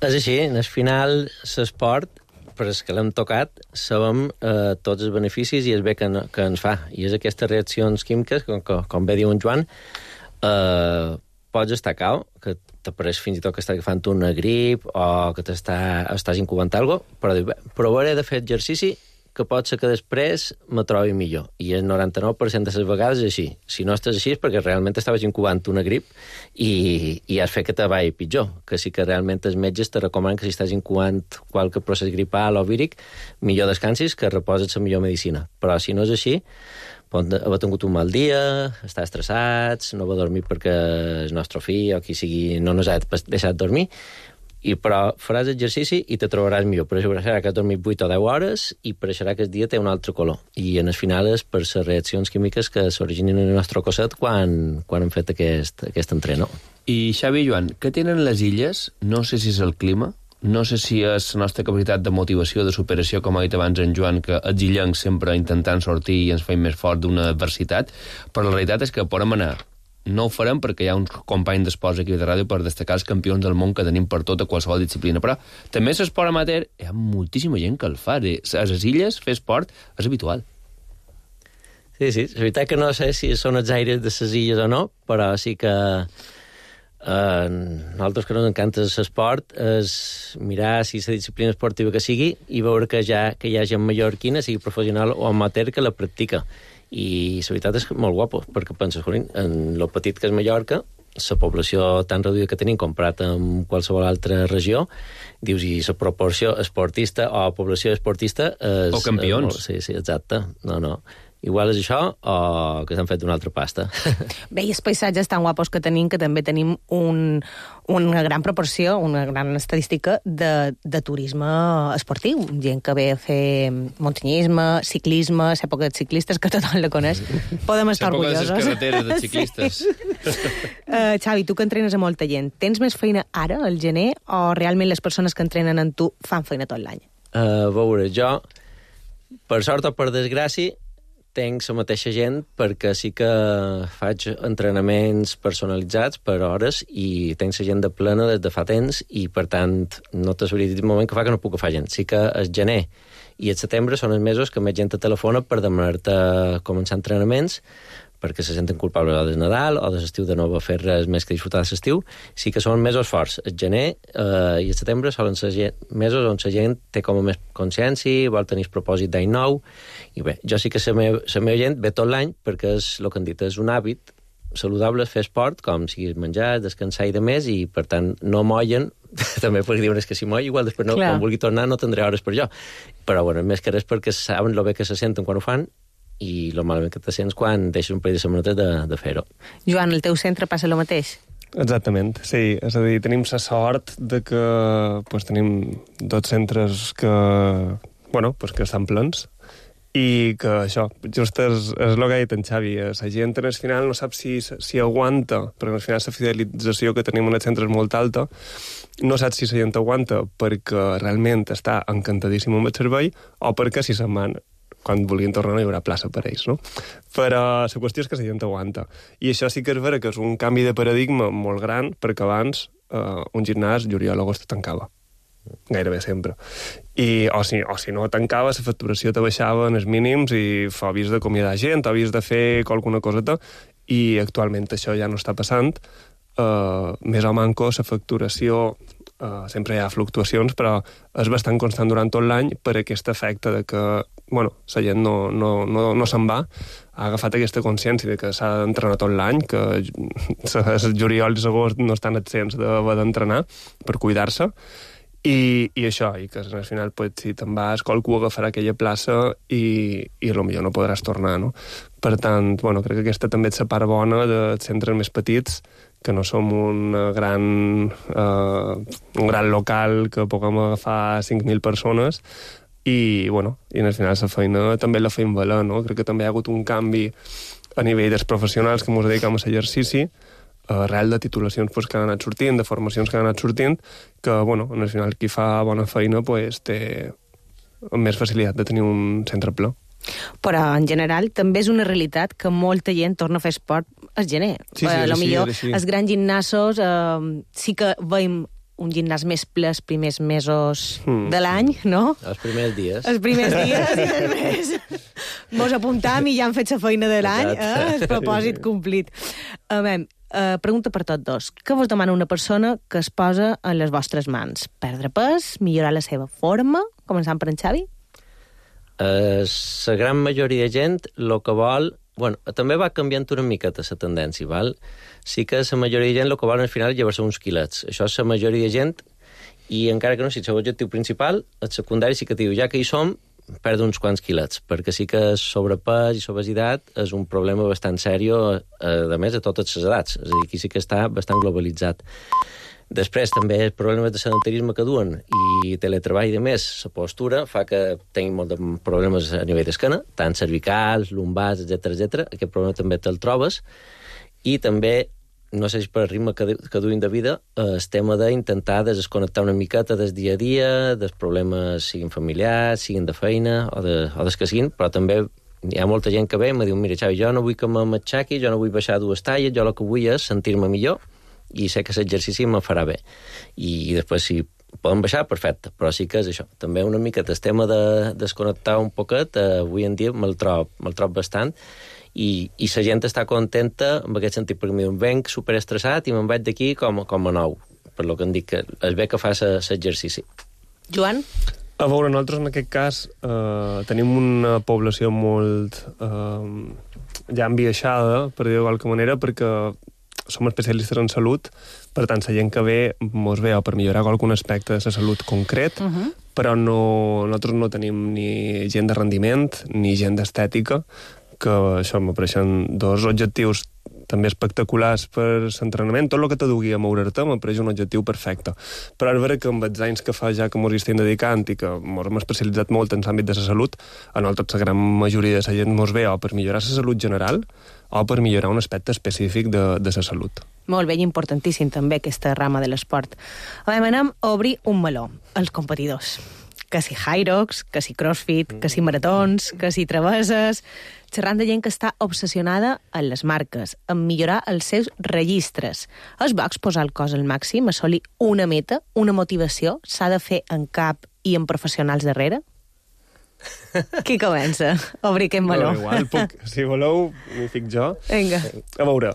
És així, al final l'esport, per als que l'hem tocat, sabem eh, tots els beneficis i el bé que, que ens fa. I és aquestes reaccions químiques, com, com, com bé diu en Joan, eh, pots estar cau, que t'apareix fins i tot que estàs agafant una grip o que estàs incubant alguna cosa, però, bé, però hauré de fer exercici que pot ser que després me trobi millor. I el noranta-nou per cent de les vegades és així. Si no estàs així és perquè realment estaves incubant una grip i, i has fet que te vagi pitjor. Que sí que realment els metges te recomanen que si estàs incubant qualque procés gripal o víric, millor descansis, que reposes la millor medicina. Però si no és així, pot haver tingut un mal dia, estar estressats, no haver dormit perquè el nostre fill o qui sigui no ens ha deixat dormir, i però faràs exercici i te trobaràs millor. Per això serà que has dormit vuit o deu hores i per això serà que el dia té un altre color. I en el final és per les reaccions químiques que s'originen en el nostre cosset quan, quan hem fet aquest, aquest entreno. I Xavi i Joan, què tenen les illes? No sé si és el clima, no sé si és la nostra capacitat de motivació, de superació, com ha dit abans en Joan, que els illencs sempre intentant sortir i ens feim més fort d'una adversitat, però la realitat és que podem anar. No ho farem perquè hi ha uns companys d'esports aquí de ràdio per destacar els campions del món que tenim per tota qualsevol disciplina, però també l'esport amateur, hi ha moltíssima gent que el fa. A les illes fer esport és habitual. Sí, sí, és veritat que no sé si són els aires de les illes o no, però sí que Uh, nosaltres que ens encanta l'esport és mirar si la disciplina esportiva que sigui i veure que, ja, que hi ha gent mallorquina, sigui professional o amateur, que la practica. I la veritat és molt guapo, perquè penses, en el petit que és Mallorca, la població tan reduïda que tenim comparat amb qualsevol altra regió, dius, i la proporció esportista o població esportista és, o campions. És, sí, sí, exacte. No, no. Igual és això o que s'han fet una altra pasta. Bé, i els paisatges tan guapos que tenim, que també tenim un, una gran proporció, una gran estadística de, de turisme esportiu. Gent que ve a fer muntanyisme, ciclisme, l'època dels ciclistes, que tothom la coneix. Podem estar orgullosos. L'època de les carreteres dels ciclistes. Sí. uh, Xavi, tu que entrenes a molta gent, tens més feina ara, al gener, o realment les persones que entrenen amb tu fan feina tot l'any? Uh, a veure, jo, per sort o per desgràcia, tenc la mateixa gent perquè sí que faig entrenaments personalitzats per hores i tenc la gent de plena des de fa temps i, per tant, no t'ho sabria dir un moment que fa que no puc agafar gent. Sí que el gener i el setembre són els mesos que més gent te telefona per demanar-te començar entrenaments perquè se senten culpables o del Nadal o de l'estiu de no va fer res més que disfrutar de l'estiu. Sí que són mesos forts. El gener eh, i el setembre solen ser gent, mesos on la gent té com a més consciència, vol tenir el propòsit d'any nou. I bé, jo sí que la meva, la meva gent ve tot l'any perquè és el que han dit, és un hàbit saludable fer esport, com siguis menjar, descansar i de més, i per tant no mollen, també perquè diuen que si moll, igual després no, quan vulgui tornar no tindré hores per jo. Però bueno, més que res perquè saben lo bé que se senten quan ho fan i el malament que te sents quan deixes un parell de setmanetes de, de fer-ho. Joan, al teu centre passa el mateix? Exactament, sí. És a dir, tenim la sort de que pues, tenim dos centres que, bueno, pues, que estan plens i que això, just és, és el que ha dit en Xavi, la gent al final no sap si, si aguanta, perquè al final la fidelització que tenim en els centres és molt alta, no sap si la gent aguanta perquè realment està encantadíssim amb el servei o perquè si se'n van quan volien tornar no hi haurà plaça per ells, no? Però la qüestió és que la gent aguanta. I això sí que és vera que és un canvi de paradigma molt gran, perquè abans eh, un gimnàs, juliol o agost, tancava. Gairebé sempre. I, o, si, o si no tancava, la facturació te baixava en els mínims i havies d'acomiadar gent, havies de fer qualsevol coseta, i actualment això ja no està passant. Uh, més o manco, la facturació Uh, sempre hi ha fluctuacions, però és bastant constant durant tot l'any per aquest efecte de que, bueno, la gent no, no, no, no se'n va, ha agafat aquesta consciència de que s'ha d'entrenar tot l'any, que els juliol i l'agost no estan absents d'haver d'entrenar per cuidar-se, i, i això, i que al final, pues, si te'n vas, qualcú agafarà aquella plaça i, i potser no podràs tornar, no? Per tant, bueno, crec que aquesta també és la part bona dels centres més petits, que no som un gran, eh, un gran local que puguem agafar cinc mil persones i, bueno, i al final la feina també la feim valer, no? Crec que també hi ha hagut un canvi a nivell dels professionals que ens dediquem a l'exercici, arrel de titulacions pues, que han anat sortint, de formacions que han anat sortint, que, bueno, al final qui fa bona feina pues, té més facilitat de tenir un centre ple. Però, en general, també és una realitat que molta gent torna a fer esport al gener. Sí, sí, a lo així, millor, així. els grans gimnasos eh, sí que veiem un gimnàs més ple els primers mesos mm. de l'any, no? Els primers dies. Els primers dies i després mos apuntam i ja hem fet la feina de l'any, eh? El propòsit complit. A veure, uh, pregunta per tots dos. Què vos demana una persona que es posa en les vostres mans? Perdre pes? Millorar la seva forma? Començant per en Xavi? La uh, gran majoria de gent el que vol... Bueno, també va canviant una miqueta la tendència, val? Sí que la majoria de gent el que vol al final és llevar-se uns quilets. Això és la majoria de gent, i encara que no sigui el seu objectiu principal, el secundari sí que diu, ja que hi som, perdre uns quants quilets, perquè sí que sobrepès i obesitat és un problema bastant sèrio, a més, a totes les edats. És a dir, aquí sí que està bastant globalitzat. Després, també, els problemes de sedentarisme que duen i teletreball i de més, la postura fa que tenim molts de problemes a nivell d'esquena, tant cervicals, lumbars, etcètera, etcètera. Aquest problema també te'l trobes. I també, no sé si per el ritme que, que duim de vida, el tema d'intentar desconnectar una miqueta del dia a dia, dels problemes siguin familiars, siguin de feina o, de, o des que siguin, però també hi ha molta gent que ve i em diu, mira, Xavi, jo no vull que m'aixequi, jo no vull baixar dues talles, jo el que vull és sentir-me millor i sé que l'exercici me farà bé. I, i després, si poden baixar, perfecte, però sí que és això. També una mica el tema de desconnectar un poquet, eh, avui en dia me'l trob, me'l trob bastant, i, i la gent està contenta en aquest sentit, perquè em venc superestressat i me'n vaig d'aquí com, com a nou, per lo que em dic, que és bé que fa l'exercici. Joan? A veure, nosaltres en aquest cas eh, tenim una població molt eh, ja enviaixada, per dir-ho de qualque manera, perquè som especialistes en salut, per tant, la gent que ve mos ve o per millorar algun aspecte de la salut concret, uh -huh. però no, nosaltres no tenim ni gent de rendiment ni gent d'estètica, que això m'apareixen dos objectius també espectaculars per l'entrenament. Tot el que t'adugui a moure-te m'apareix un objectiu perfecte. Però és vera que amb els anys que fa ja que mos hi estem dedicant i que mos hem especialitzat molt en l'àmbit de la salut, a nosaltres la gran majoria de la gent mos ve o per millorar la salut general o per millorar un aspecte específic de, de la salut. Molt bé, i importantíssim també aquesta rama de l'esport. A veure, anem a obrir un meló, els competidors. Que si Hyrox, que si CrossFit, que si maratons, que si travesses... Xerrant de gent que està obsessionada en les marques, en millorar els seus registres. És bo exposar el cos al màxim, assolir una meta, una motivació, s'ha de fer en cap i en professionals darrere? Qui comença? Obri aquest meló. No, igual, puc, si voleu, m'hi fic jo. Vinga. A veure,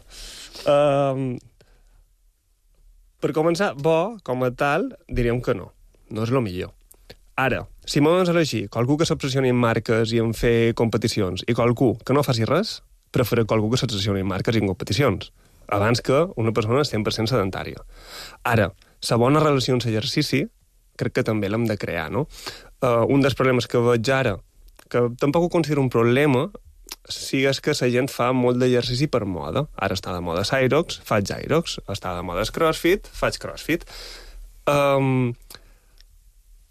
uh, per començar, bo, com a tal, diríem que no. No és el millor. Ara, si m'ho doncs elegir qualcú que s'obsessioni en marques i en fer competicions i qualcú que no faci res, preferir qualcú que s'obsessioni en marques i en competicions, abans que una persona cent per cent sedentària. Ara, la bona relació amb l'exercici crec que també l'hem de crear, no? Uh, un dels problemes que veig ara, que tampoc ho considero un problema, sí és que la gent fa molt d'exercici per moda. Ara està de moda Cyrox, faig Cyrox. Està de moda CrossFit, faig CrossFit. Um,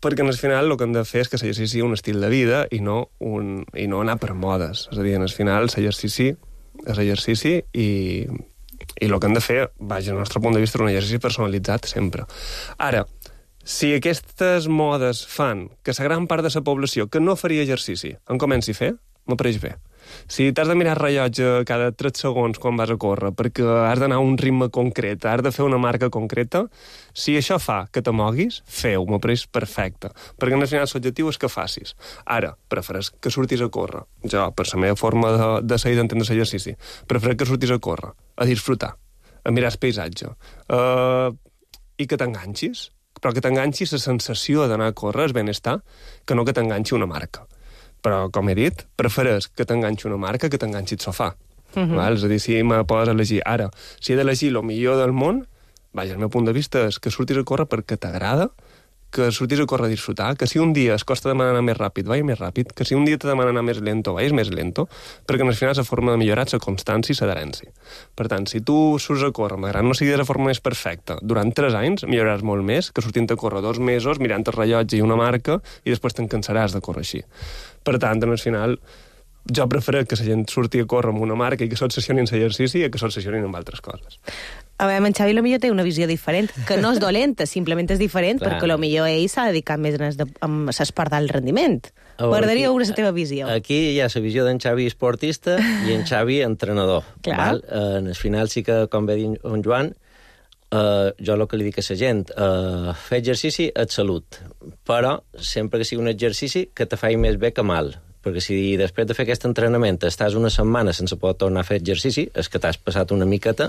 perquè al final el que hem de fer és que l'exercici sigui un estil de vida i no, un, i no anar per modes. És a dir, al final l'exercici és exercici i, i el que hem de fer, vaja, al nostre punt de vista, és un exercici personalitzat sempre. Ara, si aquestes modes fan que la gran part de la població que no faria exercici en comenci a fer, m'apareix bé. Si t'has de mirar el rellotge cada tres segons quan vas a córrer perquè has d'anar a un ritme concret, has de fer una marca concreta, si això fa que te moguis, feu, m'apareix perfecte. Perquè al final l'objectiu és que facis. Ara, prefereix que surtis a córrer. Jo, per la meva forma de, de ser i d'entendre l'exercici, prefereix que surtis a córrer, a disfrutar, a mirar el paisatge, uh, i que t'enganxis. però que t'enganxi la sensació d'anar a córrer, el benestar, que no que t'enganxi una marca. Però, com he dit, prefereix que t'enganxi una marca que t'enganxi el sofà. Uh-huh. Val? És a dir, si me pots elegir ara, si he d'elegir el millor del món, vaja, el meu punt de vista és que surtis a córrer perquè t'agrada, que surtis a córrer a disfrutar, que si un dia es costa demanar anar més ràpid, vagi més ràpid, que si un dia te demana anar més lento, vagis més lento, perquè al final la forma de millorar és la constància i l'adherència. Per tant, si tu surts a córrer, malgrat no sigui de la forma més perfecta, durant tres anys milloraràs molt més que sortint a córrer dos mesos mirant el rellotge i una marca i després te'n cansaràs de córrer així. Per tant, al final, jo prefereixo que la gent surti a córrer amb una marca i que s'obsessionin en l'exercici i que s'obsessionin amb altres coses. A veure, en Xavi potser té una visió diferent, que no és dolenta, simplement és diferent, Clar. perquè potser ell s'ha dedicat més a l'esport d'alt rendiment. M'agradaria veure la teva visió. Aquí hi ha la visió d'en Xavi esportista i en Xavi entrenador. Clar. Val? Eh, en el final sí que, com ve dir en Joan, eh, jo el que li dic a la gent, eh, fer exercici és salut, però sempre que sigui un exercici que te faci més bé que mal. Perquè si després de fer aquest entrenament estàs una setmana sense poder tornar a fer exercici, és que t'has passat una miqueta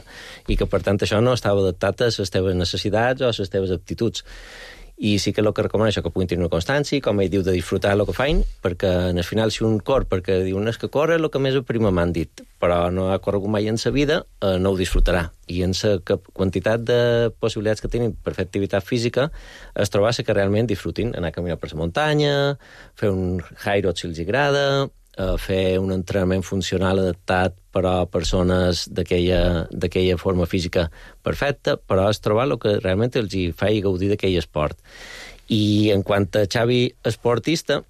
i que, per tant, això no estava adaptat a les teves necessitats o a les teves aptituds. I sí que el que recomano és que puguin tenir una constància, com ell diu, de disfrutar el que feien, perquè al final si un cor, perquè diu, no és que corre el que més prima m'han dit, però no ha corregut mai en sa vida, eh, no ho disfrutarà. I en la quantitat de possibilitats que tenen per fer activitat física es trobar que realment disfrutin, anar a caminar per la muntanya, fer un high road si els agrada, eh, fer un entrenament funcional adaptat però a persones d'aquella forma física perfecta, però és trobar el que realment els hi faci gaudir d'aquell esport. I en quant a Xavi esportista,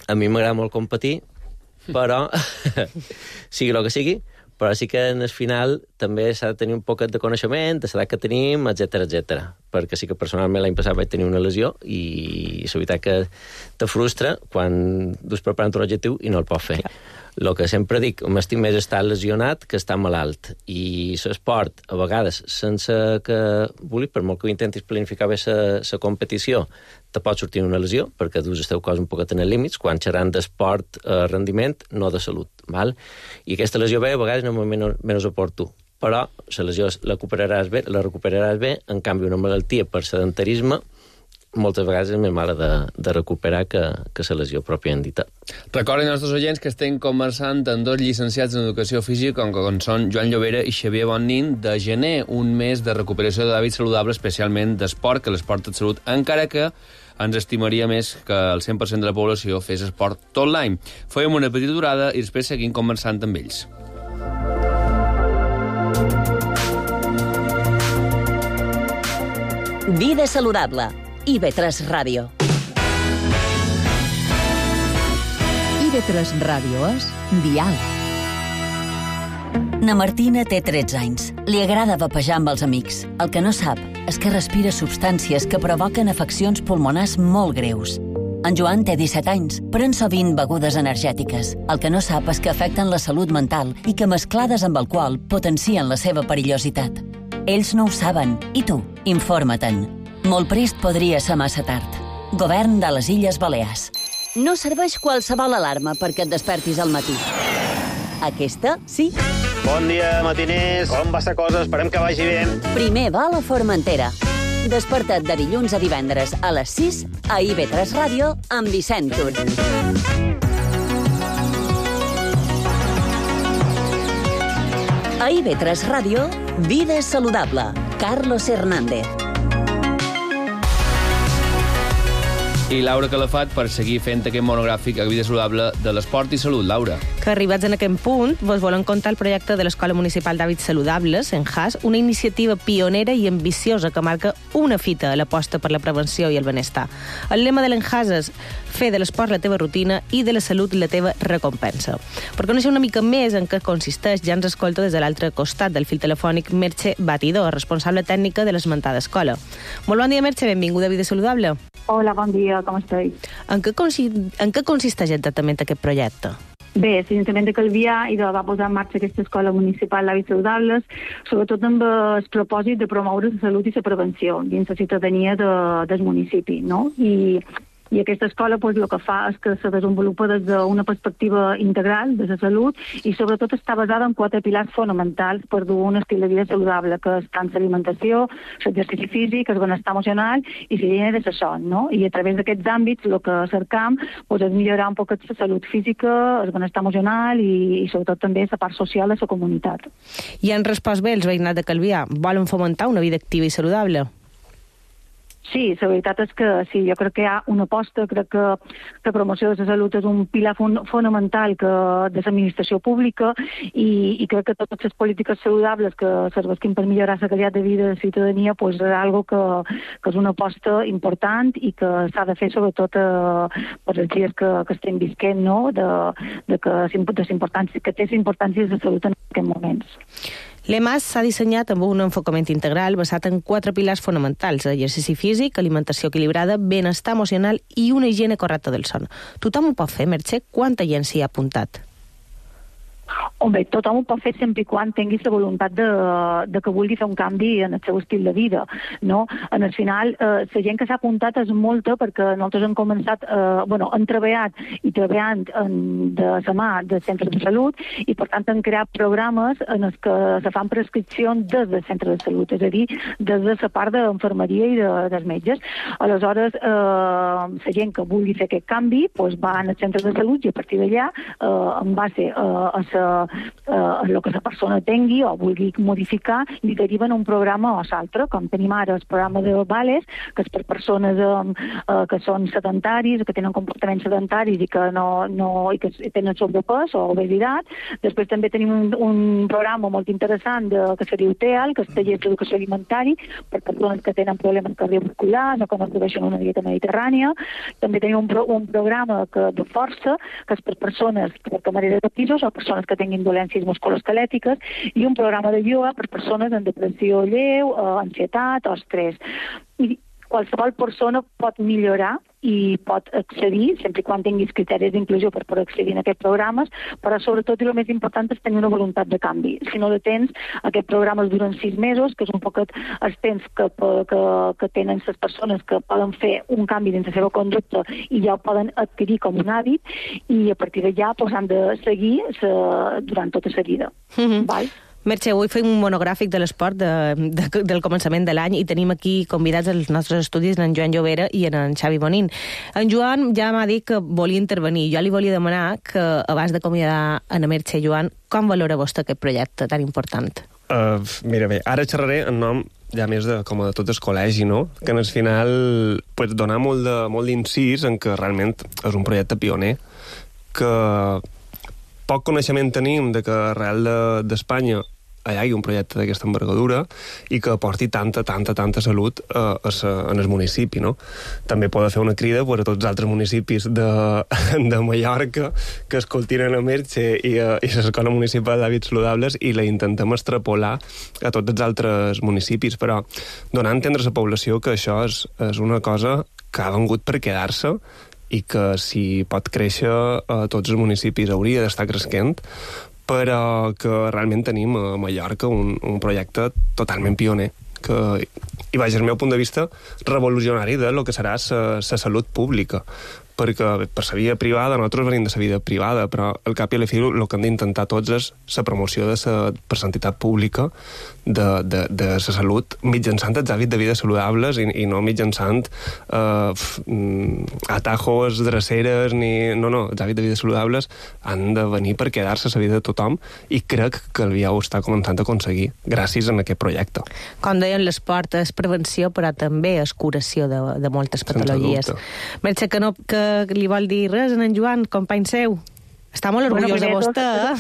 a mi m'agrada molt competir, però sigui el que sigui, però sí que en el final també s'ha de tenir un poquet de coneixement, de l'edat que tenim, etcètera, etcètera. Perquè sí que personalment l'any passat vaig tenir una lesió i és veritat que te frustra quan dus preparant un objectiu i no el pots fer. El que sempre dic, m'estic més estar lesionat que estar malalt. I l'esport, a vegades, sense que vulguis, per molt que ho intentis planificar bé la competició, te pot sortir una lesió, perquè dus el teu cos un poquet en els límits, quan xerran d'esport, eh, rendiment, no de salut. Val? I aquesta lesió bé, a vegades, no és menys, menys oportú. Però la lesió la recuperaràs bé, la recuperaràs bé, en canvi, una malaltia per sedentarisme moltes vegades és més mala de, de recuperar que, que la lesió pròpiament dita. Recorden als nostres oients que estem conversant amb dos llicenciats en Educació Física, com, com són Joan Llobera i Xavier Bonnin, de gener, un mes de recuperació d'hàbits saludables, especialment d'esport, que l'esport és salut, encara que ens estimaria més que el cent per cent de la població fes esport tot l'any. Fèiem una petita durada i després seguim conversant amb ells. Vida saludable. I ve tres Ràdio. I ve tres Ràdio és Dial. Na Martina té tretze anys. Li agrada vapejar amb els amics. El que no sap és que respira substàncies que provoquen afeccions pulmonars molt greus. En Joan té disset anys, pren sovint begudes energètiques. El que no sap és que afecten la salut mental i que mesclades amb alcohol potencien la seva perillositat. Ells no ho saben. I tu? Informa-te'n. Molt prest podria ser massa tard. Govern de les Illes Balears. No serveix qualsevol alarma perquè et despertis al matí. Aquesta, sí. Bon dia, matiners. Com va la cosa? Esperem que vagi bé. Primer va a la Formentera. Desperta't de dilluns a divendres a les sis a I ve tres Ràdio amb Vicent Tur. A I ve tres Ràdio, Vida saludable. Carlos Hernández. I Laura Calafat per seguir fent aquest monogràfic a Vida saludable de l'esport i salut. Laura. Que arribats en aquest punt, vos volem contar el projecte de l'Escola Municipal d'Hàbits Saludables, en H A S, una iniciativa pionera i ambiciosa que marca una fita a l'aposta per la prevenció i el benestar. El lema de l'En H A S és fer de l'esport la teva rutina i de la salut la teva recompensa. Per conèixer una mica més en què consisteix, ja ens escolta des de l'altre costat del fil telefònic Merche Batidor, responsable tècnica de l'esmentada escola. Molt bon dia, Merche, benvinguda a Vida Saludable. Hola, bon dia, com esteu? En què, consi en què consisteix exactament aquest projecte? Bé, l'Ajuntament de Calvià va posar en marxa aquesta escola municipal d'hàbits saludables, sobretot amb el propòsit de promoure la salut i la prevenció dins la ciutadania de, del municipi, no? I I aquesta escola pues, el que fa és que se desenvolupa des d'una perspectiva integral de la salut i sobretot està basada en quatre pilars fonamentals per dur un estil de vida saludable, que és tant l'alimentació, l'exercici físic, el benestar emocional i l'higiene de la son, no? I a través d'aquests àmbits el que cercam pues, és millorar un poc la salut física, el benestar emocional i, i sobretot també la part social de la comunitat. I han respost bé els veïnats de Calvià? Volen fomentar una vida activa i saludable? Sí, la veritat és que sí, jo crec que hi ha una aposta, crec que la promoció de la salut és un pilar fon fonamental que, de l'administració pública i, i crec que totes les polítiques saludables que serveixin per millorar la qualitat de vida de la ciutadania pues, és algo que, que és una aposta important i que s'ha de fer sobretot eh, per els dies que, que estem visquent, no? de, de que, de que té l'importància de la salut en aquests moments. L'E M A S s'ha dissenyat amb un enfocament integral basat en quatre pilars fonamentals: exercici físic, alimentació equilibrada, benestar emocional i una higiene correcta del son. Tothom ho pot fer, Mercè? Quanta gent s'hi ha apuntat? Home, tothom ho pot fer sempre i quan tinguis la voluntat de, de que vulgui fer un canvi en el seu estil de vida, no? En el final, eh, la gent que s'ha apuntat és molta perquè nosaltres hem començat, eh, bueno, hem treballat i treballant en, de la mà de centres de salut i, per tant, hem creat programes en els que se fan prescripcions des del centre de salut, és a dir, des de la part d'infermeria i de, dels metges. Aleshores, eh, la gent que vulgui fer aquest canvi pues, va al centre de salut i a partir d'allà, eh, en base eh, a la eh, el que la persona tingui o vulgui modificar, li deriven un programa o l'altre, com tenim ara el programa de Vales, que és per persones eh, que són sedentaris, que tenen comportaments sedentaris i que, no, no, i que tenen sobrepès o obesitat. Després també tenim un, un programa molt interessant de, que se diu T E A L, que és taller d'educació alimentari, per persones que tenen problemes cardiovasculars o que no produeixen una dieta mediterrània. També tenim un, pro, un programa que, de força, que és per persones, per camareres de pisos o persones que tinguin dolències musculoesquelètiques, i un programa de ioga per persones amb depressió lleu, eh, ansietat o estrès. I qualsevol persona pot millorar i pot accedir, sempre quan tinguis criteris d'inclusió per poder accedir en aquests programes, però sobretot i el més important és tenir una voluntat de canvi. Si no la tens, aquests programes duren sis mesos, que és un poc els temps que, que, que tenen les persones que poden fer un canvi dins la seva conducta i ja ho poden adquirir com un hàbit, i a partir d'allà pues, han de seguir sa, durant tota la vida. Mm-hmm. Val? Mercè, avui fem un monogràfic de l'esport de, de, del començament de l'any i tenim aquí convidats als nostres estudis en Joan Llobera i en Xavi Bonín. En Joan ja m'ha dit que volia intervenir. Jo li volia demanar que, abans d'acomiadar en Mercè, Joan, com valora vostè aquest projecte tan important? Uh, mira bé, ara xerraré en nom ja més de, com de tot el col·legi, no? Que en el final pues, donar molt de, molt d'incís en que realment és un projecte pioner, que poc coneixement tenim de que arrel d'Espanya de, hi hagi un projecte d'aquesta envergadura i que aporti tanta, tanta, tanta salut eh, a sa, en el municipi, no? També pot fer una crida per a tots els altres municipis de, de Mallorca que escoltin a Mercè i, a, i l'Escola Municipal d'Hàbits Saludables i la intentem extrapolar a tots els altres municipis, però donar a entendre a la població que això és, és una cosa que ha vengut per quedar-se i que si pot créixer a tots els municipis hauria d'estar creixent, però que realment tenim a Mallorca un, un projecte totalment pioner, que, i vaja, el meu punt de vista, revolucionari de lo que serà la salut pública, perquè per la via privada, nosaltres venim de la vida privada, però al cap i a la fi el que hem d'intentar tots és la promoció de la per l'entitat pública de, de, de la salut mitjançant els hàbits de vida saludables i, i no mitjançant eh, atajos, dreceres, ni... No, no, els hàbits de vida saludables han de venir per quedar-se a la vida de tothom i crec que el Vià ho està començant a aconseguir gràcies a aquest projecte. Com deien, l'esport és prevenció, però també és curació de, de moltes patologies. Mercè, que no... Que li vol dir res en Joan, company seu? Està molt orgullós de vostè, eh?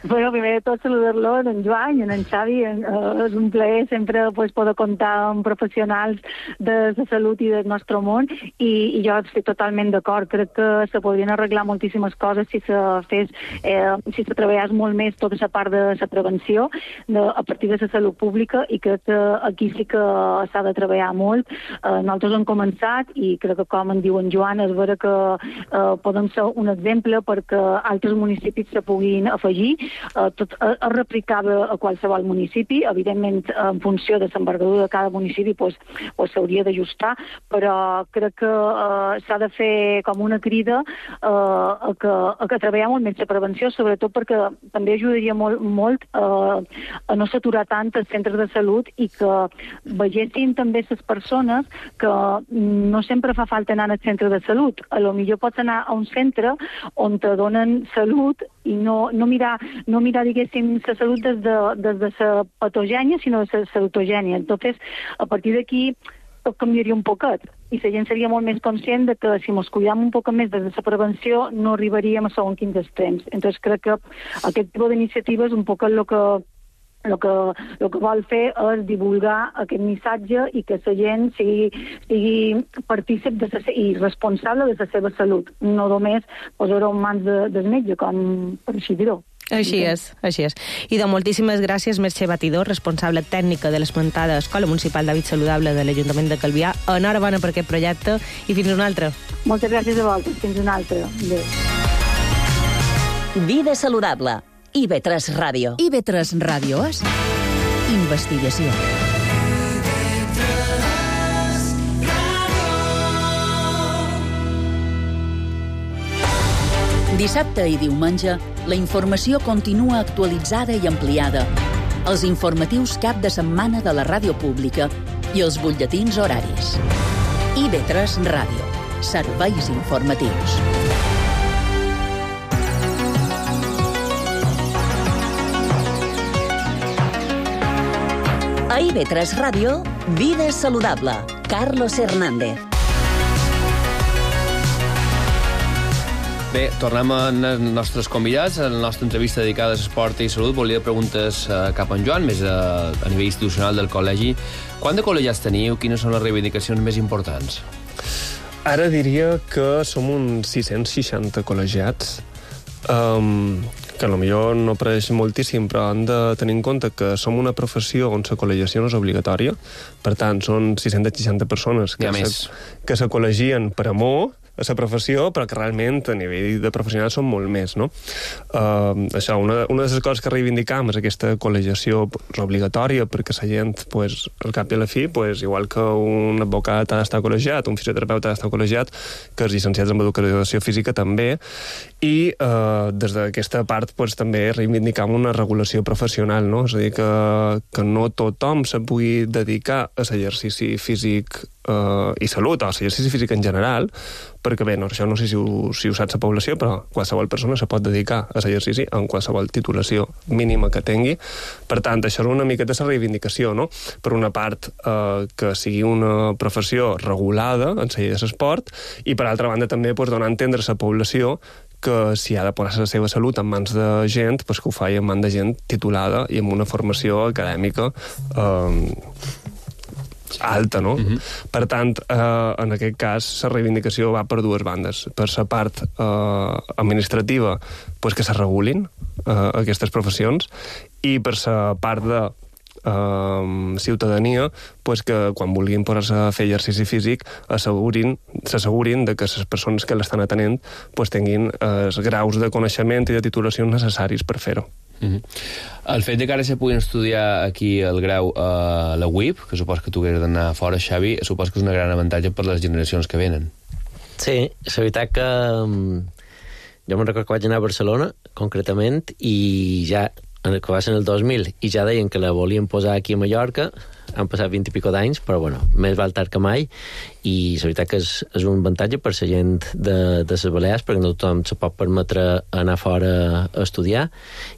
Bueno, primer de tot saludar-lo en Joan i en Xavi. Uh, és un plaer sempre pues, poder comptar amb professionals de la salut i del nostre món i, i jo estic totalment d'acord. Crec que se podrien arreglar moltíssimes coses si se fes, eh, si se treballés molt més tota la part de la prevenció de, a partir de la salut pública, i crec que aquí sí que s'ha de treballar molt. Uh, nosaltres hem començat i crec que, com en diu en Joan, és vera que uh, podem ser un exemple oberta perquè altres municipis se puguin afegir. Eh, tot eh, es replicava a qualsevol municipi, evidentment en funció de l'envergadura de cada municipi pues, pues s'hauria d'ajustar, però crec que eh, s'ha de fer com una crida eh, a, que, a que treballem molt més la prevenció, sobretot perquè també ajudaria molt, molt eh, a no saturar tant els centres de salut i que vegessin també les persones que no sempre fa falta anar al centre de salut. A lo millor pots anar a un centre on te donen salut i no, no mirar, no mirar diguéssim, la salut des de, des de la patogènia, sinó de la salutogènia. Entonces, a partir d'aquí, tot canviaria un poquet i la gent seria molt més conscient de que si ens cuidam un poc més des de la prevenció no arribaríem a segons quins extrems. Entonces crec que aquest tipus d'iniciatives un poc el que el que, el que vol fer és divulgar aquest missatge i que la gent sigui, sigui partícip de sa, i responsable de la seva salut, no només posar-ho en mans de, del metge, com per així dir-ho. Així és, així és. I de moltíssimes gràcies, Mercè Batidor, responsable tècnica de l'esmentada Escola Municipal d'Hàbit Saludable de l'Ajuntament de Calvià. Enhorabona per aquest projecte i fins una altra. Moltes gràcies a vosaltres, fins una altra. Adéu. Vida saludable. I ve tres Ràdio. I ve tres Ràdio és investigació. Dissabte i diumenge, la informació continua actualitzada i ampliada. Els informatius cap de setmana de la ràdio pública i els butlletins horaris. I ve tres Ràdio. Serveis informatius. A I ve tres Ràdio, Vida saludable. Carlos Hernández. Bé, tornem als nostres convidats. En la nostra entrevista dedicada a esport i salut volia preguntes cap a en Joan, més a, a nivell institucional del col·legi. Quant de col·legiats teniu? Quines són les reivindicacions més importants? Ara diria que som uns sis-cents seixanta col·legiats, um, que potser no pareix moltíssim, però han de tenir en compte que som una professió on la col·legiació no és obligatòria. Per tant, són sis-cents seixanta persones que, se, que se col·legien per amor a la professió, però que realment a nivell de professionals són molt més, no? Uh, això, una, una de les coses que reivindicam és aquesta col·legiació obligatòria, perquè la gent, pues, al cap i a la fi, pues, igual que un advocat ha d'estar col·legiat, un fisioterapeuta ha d'estar col·legiat, que els llicenciats en educació física també, i uh, des d'aquesta part pues, també reivindicam una regulació professional, no? És a dir, que, que no tothom se pugui dedicar a l'exercici físic Uh, i salut, o l'exercici físic en general, perquè bé, no, això no sé si ho, si ho sap la població, però qualsevol persona se pot dedicar a l'exercici en qualsevol titulació mínima que tingui. Per tant, això és una miqueta la reivindicació, no? Per una part, uh, que sigui una professió regulada en la llei de l'esport, i per altra banda també pues, donar a entendre a la població que si ha de posar la seva salut en mans de gent, pues, que ho faci en mans de gent titulada i amb una formació acadèmica eh, alta, no? Uh-huh. Per tant, eh, en aquest cas, la reivindicació va per dues bandes. Per la part eh, administrativa, pues, que se regulin eh, aquestes professions, i per la part de eh, ciutadania, pues, que quan vulguin posar-se a fer exercici físic assegurin, s'assegurin de que les persones que l'estan atenent pues, tinguin els graus de coneixement i de titulació necessaris per fer-ho. Uh-huh. El fet de que ara se puguin estudiar aquí el grau a la U I P, que supos que tu hagués d'anar fora, Xavi, supos que és un gran avantatge per les generacions que venen. Sí, la veritat que um, jo me'n recordo que vaig anar a Barcelona, concretament, i ja, que va ser en el dos mil, i ja deien que la volien posar aquí a Mallorca. Han passat vint i pico d'anys, però bueno, més val tard que mai, i la veritat que és, és un avantatge per la gent de, de les Balears, perquè no tothom se pot permetre anar fora a estudiar,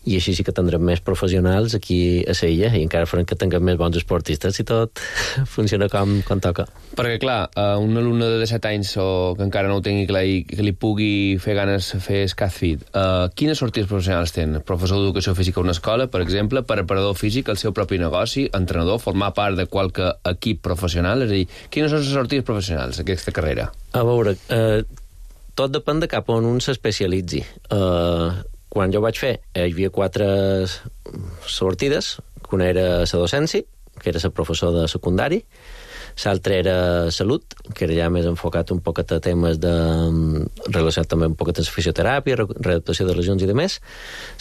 i així sí que tindrem més professionals aquí a l'illa, i encara farem que tinguem més bons esportistes i tot funciona com, com toca. Perquè, clar, un alumne de disset anys o que encara no ho tingui clar i que li pugui fer ganes fer SCATFIT, uh, quines sortides professionals tenen? Professor d'educació física a una escola, per exemple, preparador físic al seu propi negoci, entrenador, formar part de qualque equip professional? És a dir, quines són les sortides professionals d'aquesta carrera? A veure, eh, tot depèn de cap on un s'especialitzi. Eh, quan jo vaig fer, hi havia quatre sortides, que una era la docència, que era ser professor de secundari, l'altre era salut, que era ja més enfocat un poquet a temes de, relacionat també un poquet amb fisioteràpia, readaptació de lesions i demés.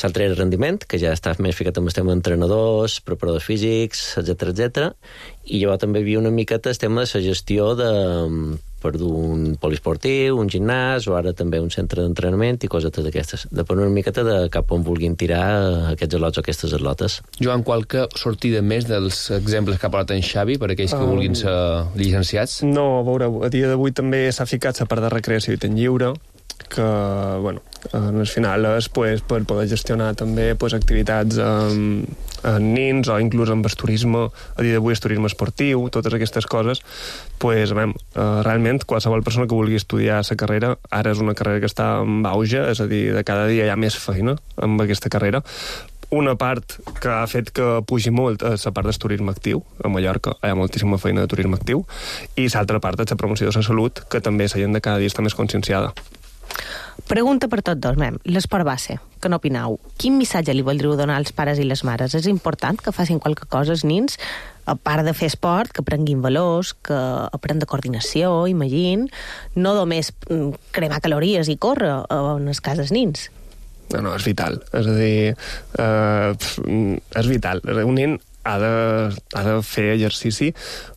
L'altre era rendiment, que ja està més ficat amb el tema d'entrenadors, preparadors físics, etcètera, etcètera. I llavors també hi havia una miqueta el tema de la gestió de, per d'un poliesportiu, un gimnàs, o ara també un centre d'entrenament i coses d'aquestes. Depèn una miqueta de cap on vulguin tirar aquests atlots o aquestes atlotes. Joan, qualque sortida més dels exemples que ha parlat en Xavi per aquells que um, vulguin ser llicenciats? No, a veure, a dia d'avui també s'ha ficat la part de recreació i temps lliure, que, bueno, en el final és pues, per poder gestionar també pues, activitats amb, amb nins o inclús amb el turisme, a dia d'avui és turisme esportiu, totes aquestes coses, pues, veiem, eh, realment qualsevol persona que vulgui estudiar la carrera, ara és una carrera que està en auge, és a dir, de cada dia hi ha més feina amb aquesta carrera. Una part que ha fet que pugi molt és la part del turisme actiu. A Mallorca hi ha moltíssima feina de turisme actiu, i l'altra part és la promoció de la salut, que també la gent de cada dia està més conscienciada. Pregunta per tots dos, mem. L'esport base, que n'opineu? Quin missatge li voldríeu donar als pares i les mares? És important que facin qualque cosa els nins, a part de fer esport, que aprenguin valors, que aprenguin de coordinació, imagine, no només cremar calories i córrer en els cas dels nins. No, no, és vital. És a dir, eh, és vital. Un nen ha de, ha de fer exercici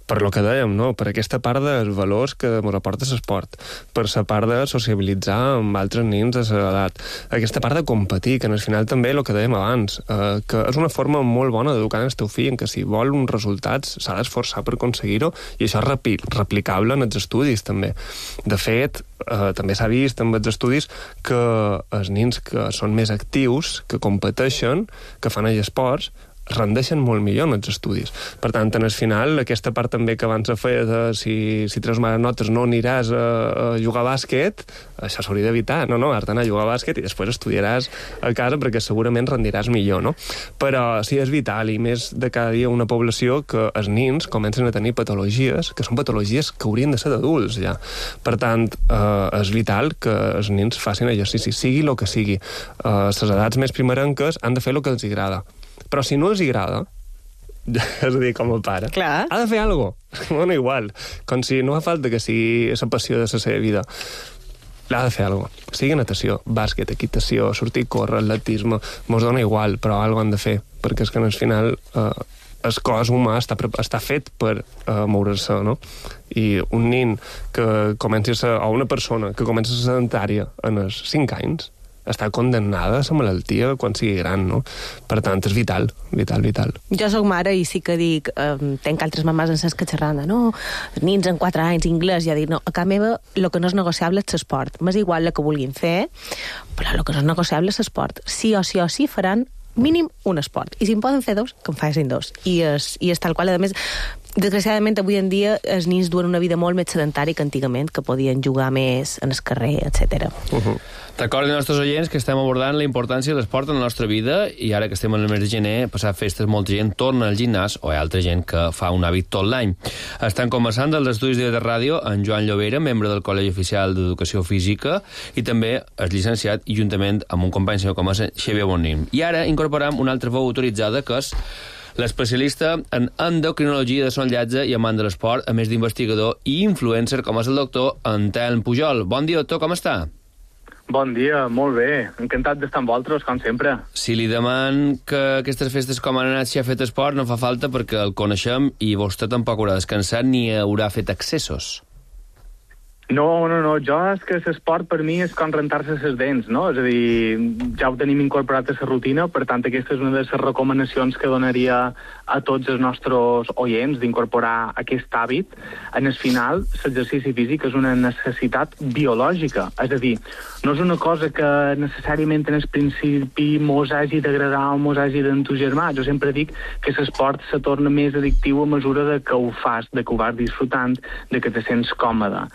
per lo que dèiem, no? Per aquesta part dels valors que ens aporta l'esport, per la part de sociabilitzar amb altres nens de l'edat, aquesta part de competir, que al final també el que dèiem abans, eh, que és una forma molt bona d'educar el teu fill, en què si vol uns resultats s'ha d'esforçar per aconseguir-ho, i això és repli replicable en els estudis també. De fet, eh, també s'ha vist amb els estudis que els nens que són més actius, que competeixen, que fan els esports, rendeixen molt millor en els estudis. Per tant, en el final, aquesta part també que abans a fer de si, si treus males notes no aniràs a, a jugar a bàsquet, això s'hauria d'evitar. No, no, has d'anar a jugar a bàsquet i després estudiaràs a casa perquè segurament rendiràs millor, no? Però sí, és vital, i més de cada dia una població que els nens comencen a tenir patologies, que són patologies que haurien de ser d'adults, ja. Per tant, eh, és vital que els nens facin exercici, sigui el que sigui. Eh, les edats més primerenques han de fer el que els agrada. Però si no els agrada, és a dir, com el pare, clar, ha de fer alguna cosa. Bueno, igual. Com si no fa falta que sigui la passió de la seva vida. L'ha de fer alguna cosa. Sigui natació, bàsquet, equitació, sortir a córrer, atletisme, mos dona igual, però alguna cosa han de fer, perquè és que al final eh, el cos humà està, està fet per eh, moure-se, no? I un nen que comenci a ser, o una persona que comença a ser sedentària en els cinc anys, està condemnada a la malaltia quan sigui gran, no? Per tant, és vital, vital, vital. Jo soc mare i sí que dic, eh, tenc altres mamàs en ses que xerran de, no, nins en quatre anys, anglès, ja dic, no, a casa meva el que no és negociable és l'esport. M'és igual el que vulguin fer, però el que no és negociable és l'esport. Sí o sí o sí faran mínim un esport. I si en poden fer dos, que en facin dos. I és, i és tal qual, a més, desgraciadament avui en dia els nins duen una vida molt més sedentària que antigament, que podien jugar més en el carrer, etcètera. Uh-huh. Recordin als nostres oients que estem abordant la importància de l'esport en la nostra vida, i ara que estem en el mes de gener, passat festes, molta gent torna al gimnàs, o hi ha altra gent que fa un hàbit tot l'any. Estan començant dels estudis de ràdio en Joan Llobera, membre del Col·legi Oficial d'Educació Física, i també és llicenciat, i juntament amb un company seu com és Xavier Bonim. I ara incorporem una altra veu autoritzada, que és l'especialista en endocrinologia de son llatge i amant de l'esport, a més d'investigador i influencer, com és el doctor Antelm Pujol. Bon dia, doctor, com està? Bon dia, molt bé. Encantat d'estar amb vosaltres, com sempre. Si li deman que aquestes festes com han anat si ha fet esport, no fa falta perquè el coneixem i vostè tampoc haurà descansat ni haurà fet excessos. No, no, no, jo és que l'esport per mi és com rentar-se les dents, no? És a dir, ja ho tenim incorporat a la rutina, per tant aquesta és una de les recomanacions que donaria a tots els nostres oients d'incorporar aquest hàbit. En el final, l'exercici físic és una necessitat biològica, és a dir, no és una cosa que necessàriament en el principi mos hagi d'agradar o mos hagi d'entusiasmar. Jo sempre dic que l'esport se torna més addictiu a mesura de que ho fas, de que ho vas disfrutant, de que te sents còmode.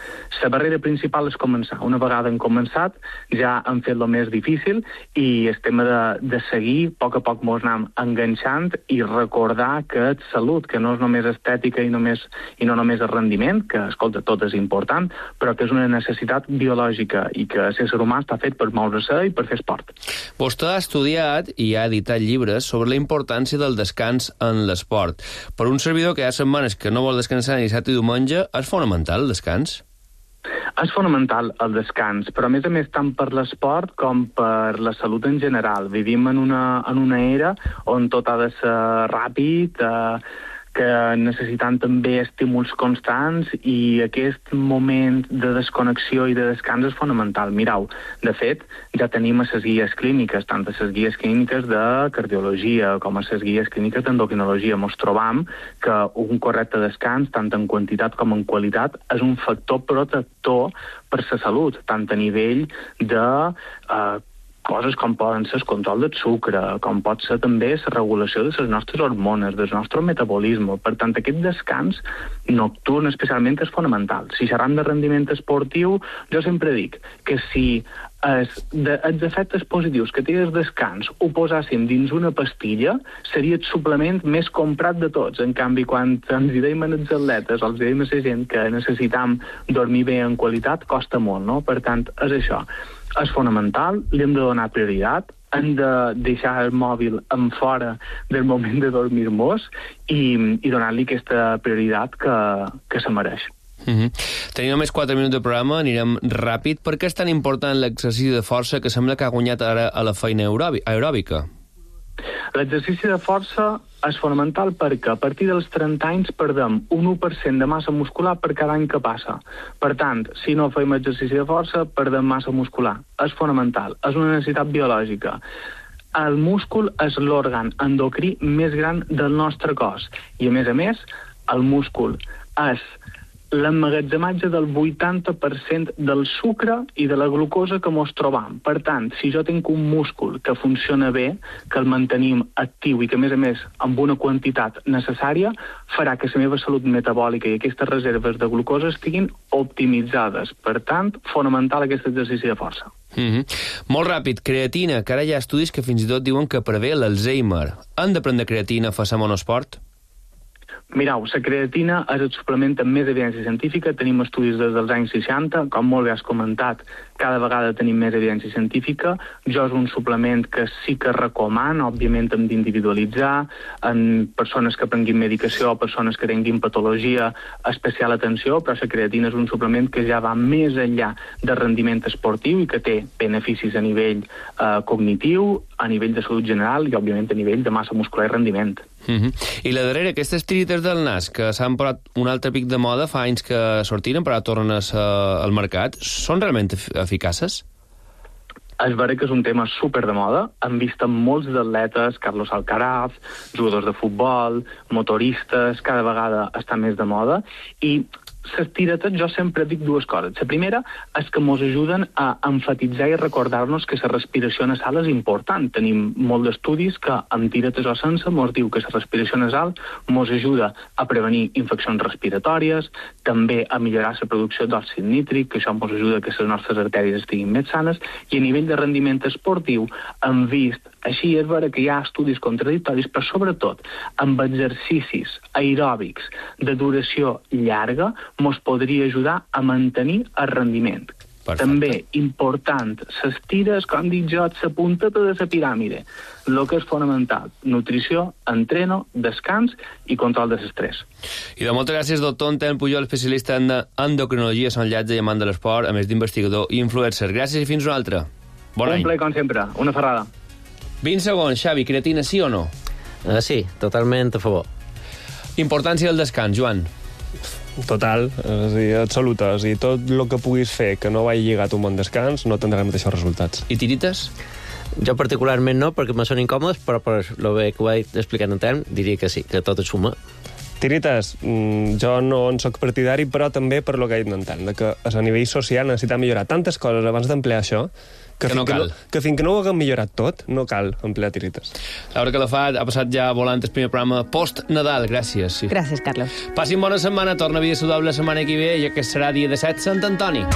La barrera principal és començar. Una vegada hem començat, ja hem fet el més difícil i el tema de, de seguir, a poc a poc mos anem enganxant i recordar que és salut, que no és només estètica i, només, i no només el rendiment, que, escolta, tot és important, però que és una necessitat biològica i que l'ésser humà està fet per moure-se i per fer esport. Vostè ha estudiat i ha editat llibres sobre la importància del descans en l'esport. Per un servidor que hi ha setmanes que no vol descansar ni dissabte i diumenge, és fonamental el descans? És fonamental el descans, però a més a més tant per l'esport com per la salut en general. Vivim en una, en una era on tot ha de ser ràpid, eh, que necessitant també estímuls constants i aquest moment de desconnexió i de descans és fonamental. Mirau, de fet, ja tenim a les guies clíniques, tant a les guies clíniques de cardiologia com a les guies clíniques d'endocrinologia. Mos trobam que un correcte descans, tant en quantitat com en qualitat, és un factor protector per la salut, tant a nivell de eh, coses com poden ser el control del sucre, com pot ser també la regulació de les nostres hormones, del nostre metabolisme. Per tant, aquest descans nocturn especialment és fonamental. Si xerram de rendiment esportiu, jo sempre dic que si es, de, els efectes positius que té el descans ho posàssim dins una pastilla, seria el suplement més comprat de tots. En canvi, quan ens hi deim als atletes o els deim a la gent que necessitam dormir bé en qualitat, costa molt, no? Per tant, és això. És fonamental, li hem de donar prioritat, hem de deixar el mòbil en fora del moment de dormir-nos i, i donar-li aquesta prioritat que, que se mereix. Mm-hmm. Tenim només quatre minuts de programa, anirem ràpid. Per què és tan important l'exercici de força que sembla que ha guanyat ara a la feina aeròbica? L'exercici de força és fonamental perquè a partir dels trenta anys perdem un u per cent de massa muscular per cada any que passa. Per tant, si no fem exercici de força, perdem massa muscular. És fonamental, és una necessitat biològica. El múscul és l'òrgan endocrí més gran del nostre cos i, a més a més, el múscul és l'emmagatzematge del vuitanta per cent del sucre i de la glucosa que mos trobam. Per tant, si jo tinc un múscul que funciona bé, que el mantenim actiu i que, a més a més, amb una quantitat necessària, farà que la meva salut metabòlica i aquestes reserves de glucosa estiguin optimitzades. Per tant, fonamental aquest exercici de força. Mm-hmm. Molt ràpid, creatina, que ara hi ha estudis que fins i tot diuen que prevé l'Alzheimer. Han de prendre creatina a fer monosport? Mirau, la creatina és el suplement amb més evidència científica. Tenim estudis des dels anys seixanta, com molt bé has comentat, cada vegada tenim més evidència científica. Jo és un suplement que sí que recomano, òbviament hem d'individualitzar, en persones que prenguin medicació o persones que tinguin patologia, especial atenció, però la creatina és un suplement que ja va més enllà del rendiment esportiu i que té beneficis a nivell eh, cognitiu, a nivell de salut general i, òbviament, a nivell de massa muscular i rendiment. Mm-hmm. I la darrera, aquestes tirites del nas, que s'han posat un altre pic de moda, fa anys que sortiren, però ara tornen a ser al mercat, són realment eficaces? És vera que és un tema super de moda. Hem vist molts atletes, Carlos Alcaraz, jugadors de futbol, motoristes, cada vegada està més de moda, i les tiretes jo sempre dic dues coses. La primera és que ens ajuden a enfatitzar i recordar-nos que la respiració nasal és important. Tenim molts d'estudis que amb tiretes o sense ens diu que la respiració nasal ens ajuda a prevenir infeccions respiratòries, també a millorar la producció d'òxid nítric, que això ens ajuda a que les nostres artèries estiguin més sanes, i a nivell de rendiment esportiu hem vist, així és vera que hi ha estudis contradictoris, però sobretot amb exercicis aeròbics de duració llarga ens podria ajudar a mantenir el rendiment. Perfecte. També important, les tires, com dic jo, la punteta de la piràmide. El que és fonamental, nutrició, entreno, descans i control de l'estrès. I de moltes gràcies, doctor Anton Pujol, especialista en endocrinologia, son llatge i amant de l'esport, a més d'investigador i influencer. Gràcies i fins una altra. Bon Un any. ple, com sempre. Una ferrada. vint segons, Xavi, creatina sí o no? Uh, sí, totalment a favor. Importància del descans, Joan. Total, és a dir, absoluta. És a dir, tot el que puguis fer que no vagi lligat a un bon descans no tindrà els mateixos resultats. I tirites? Jo particularment no, perquè me són incòmodes, però per lo bé que ho he explicat en temps, diria que sí, que tot es suma. Tirites, jo no en soc partidari, però també per lo que he dit en tant, que a nivell social necessita millorar tantes coses abans d'emplear això, Que, que no que cal. No, que fins que no ho haguem millorat tot, no cal emplear tirites. Laura Calafat ha passat ja volant el primer programa post-Nadal. Gràcies. Sí. Gràcies, Carlos. Passin bona setmana, torna a Vida Saludable la setmana que ve, ja que serà dia de set Sant Antoni.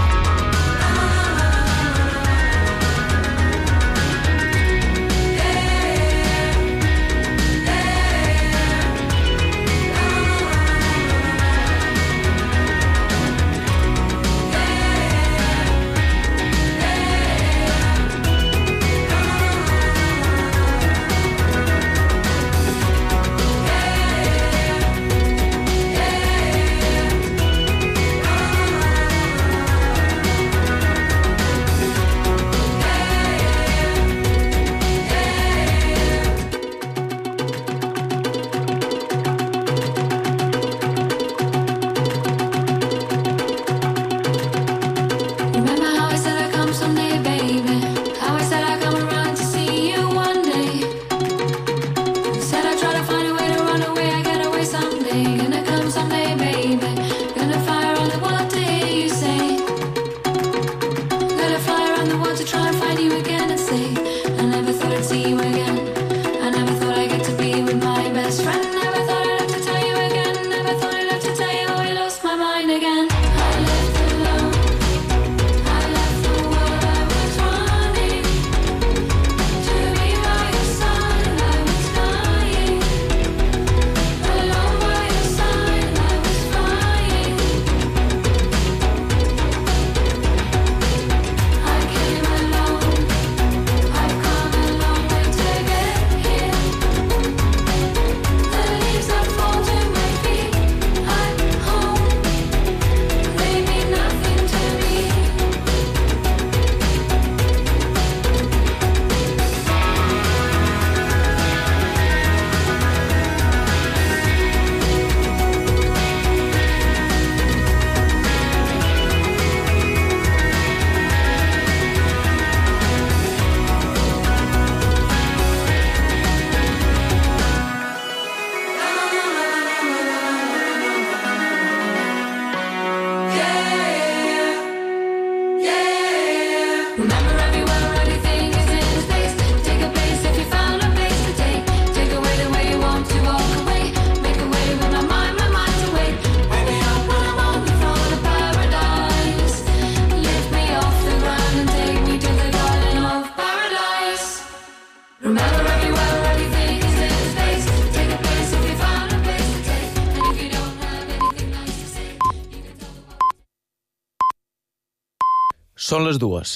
Són les dues.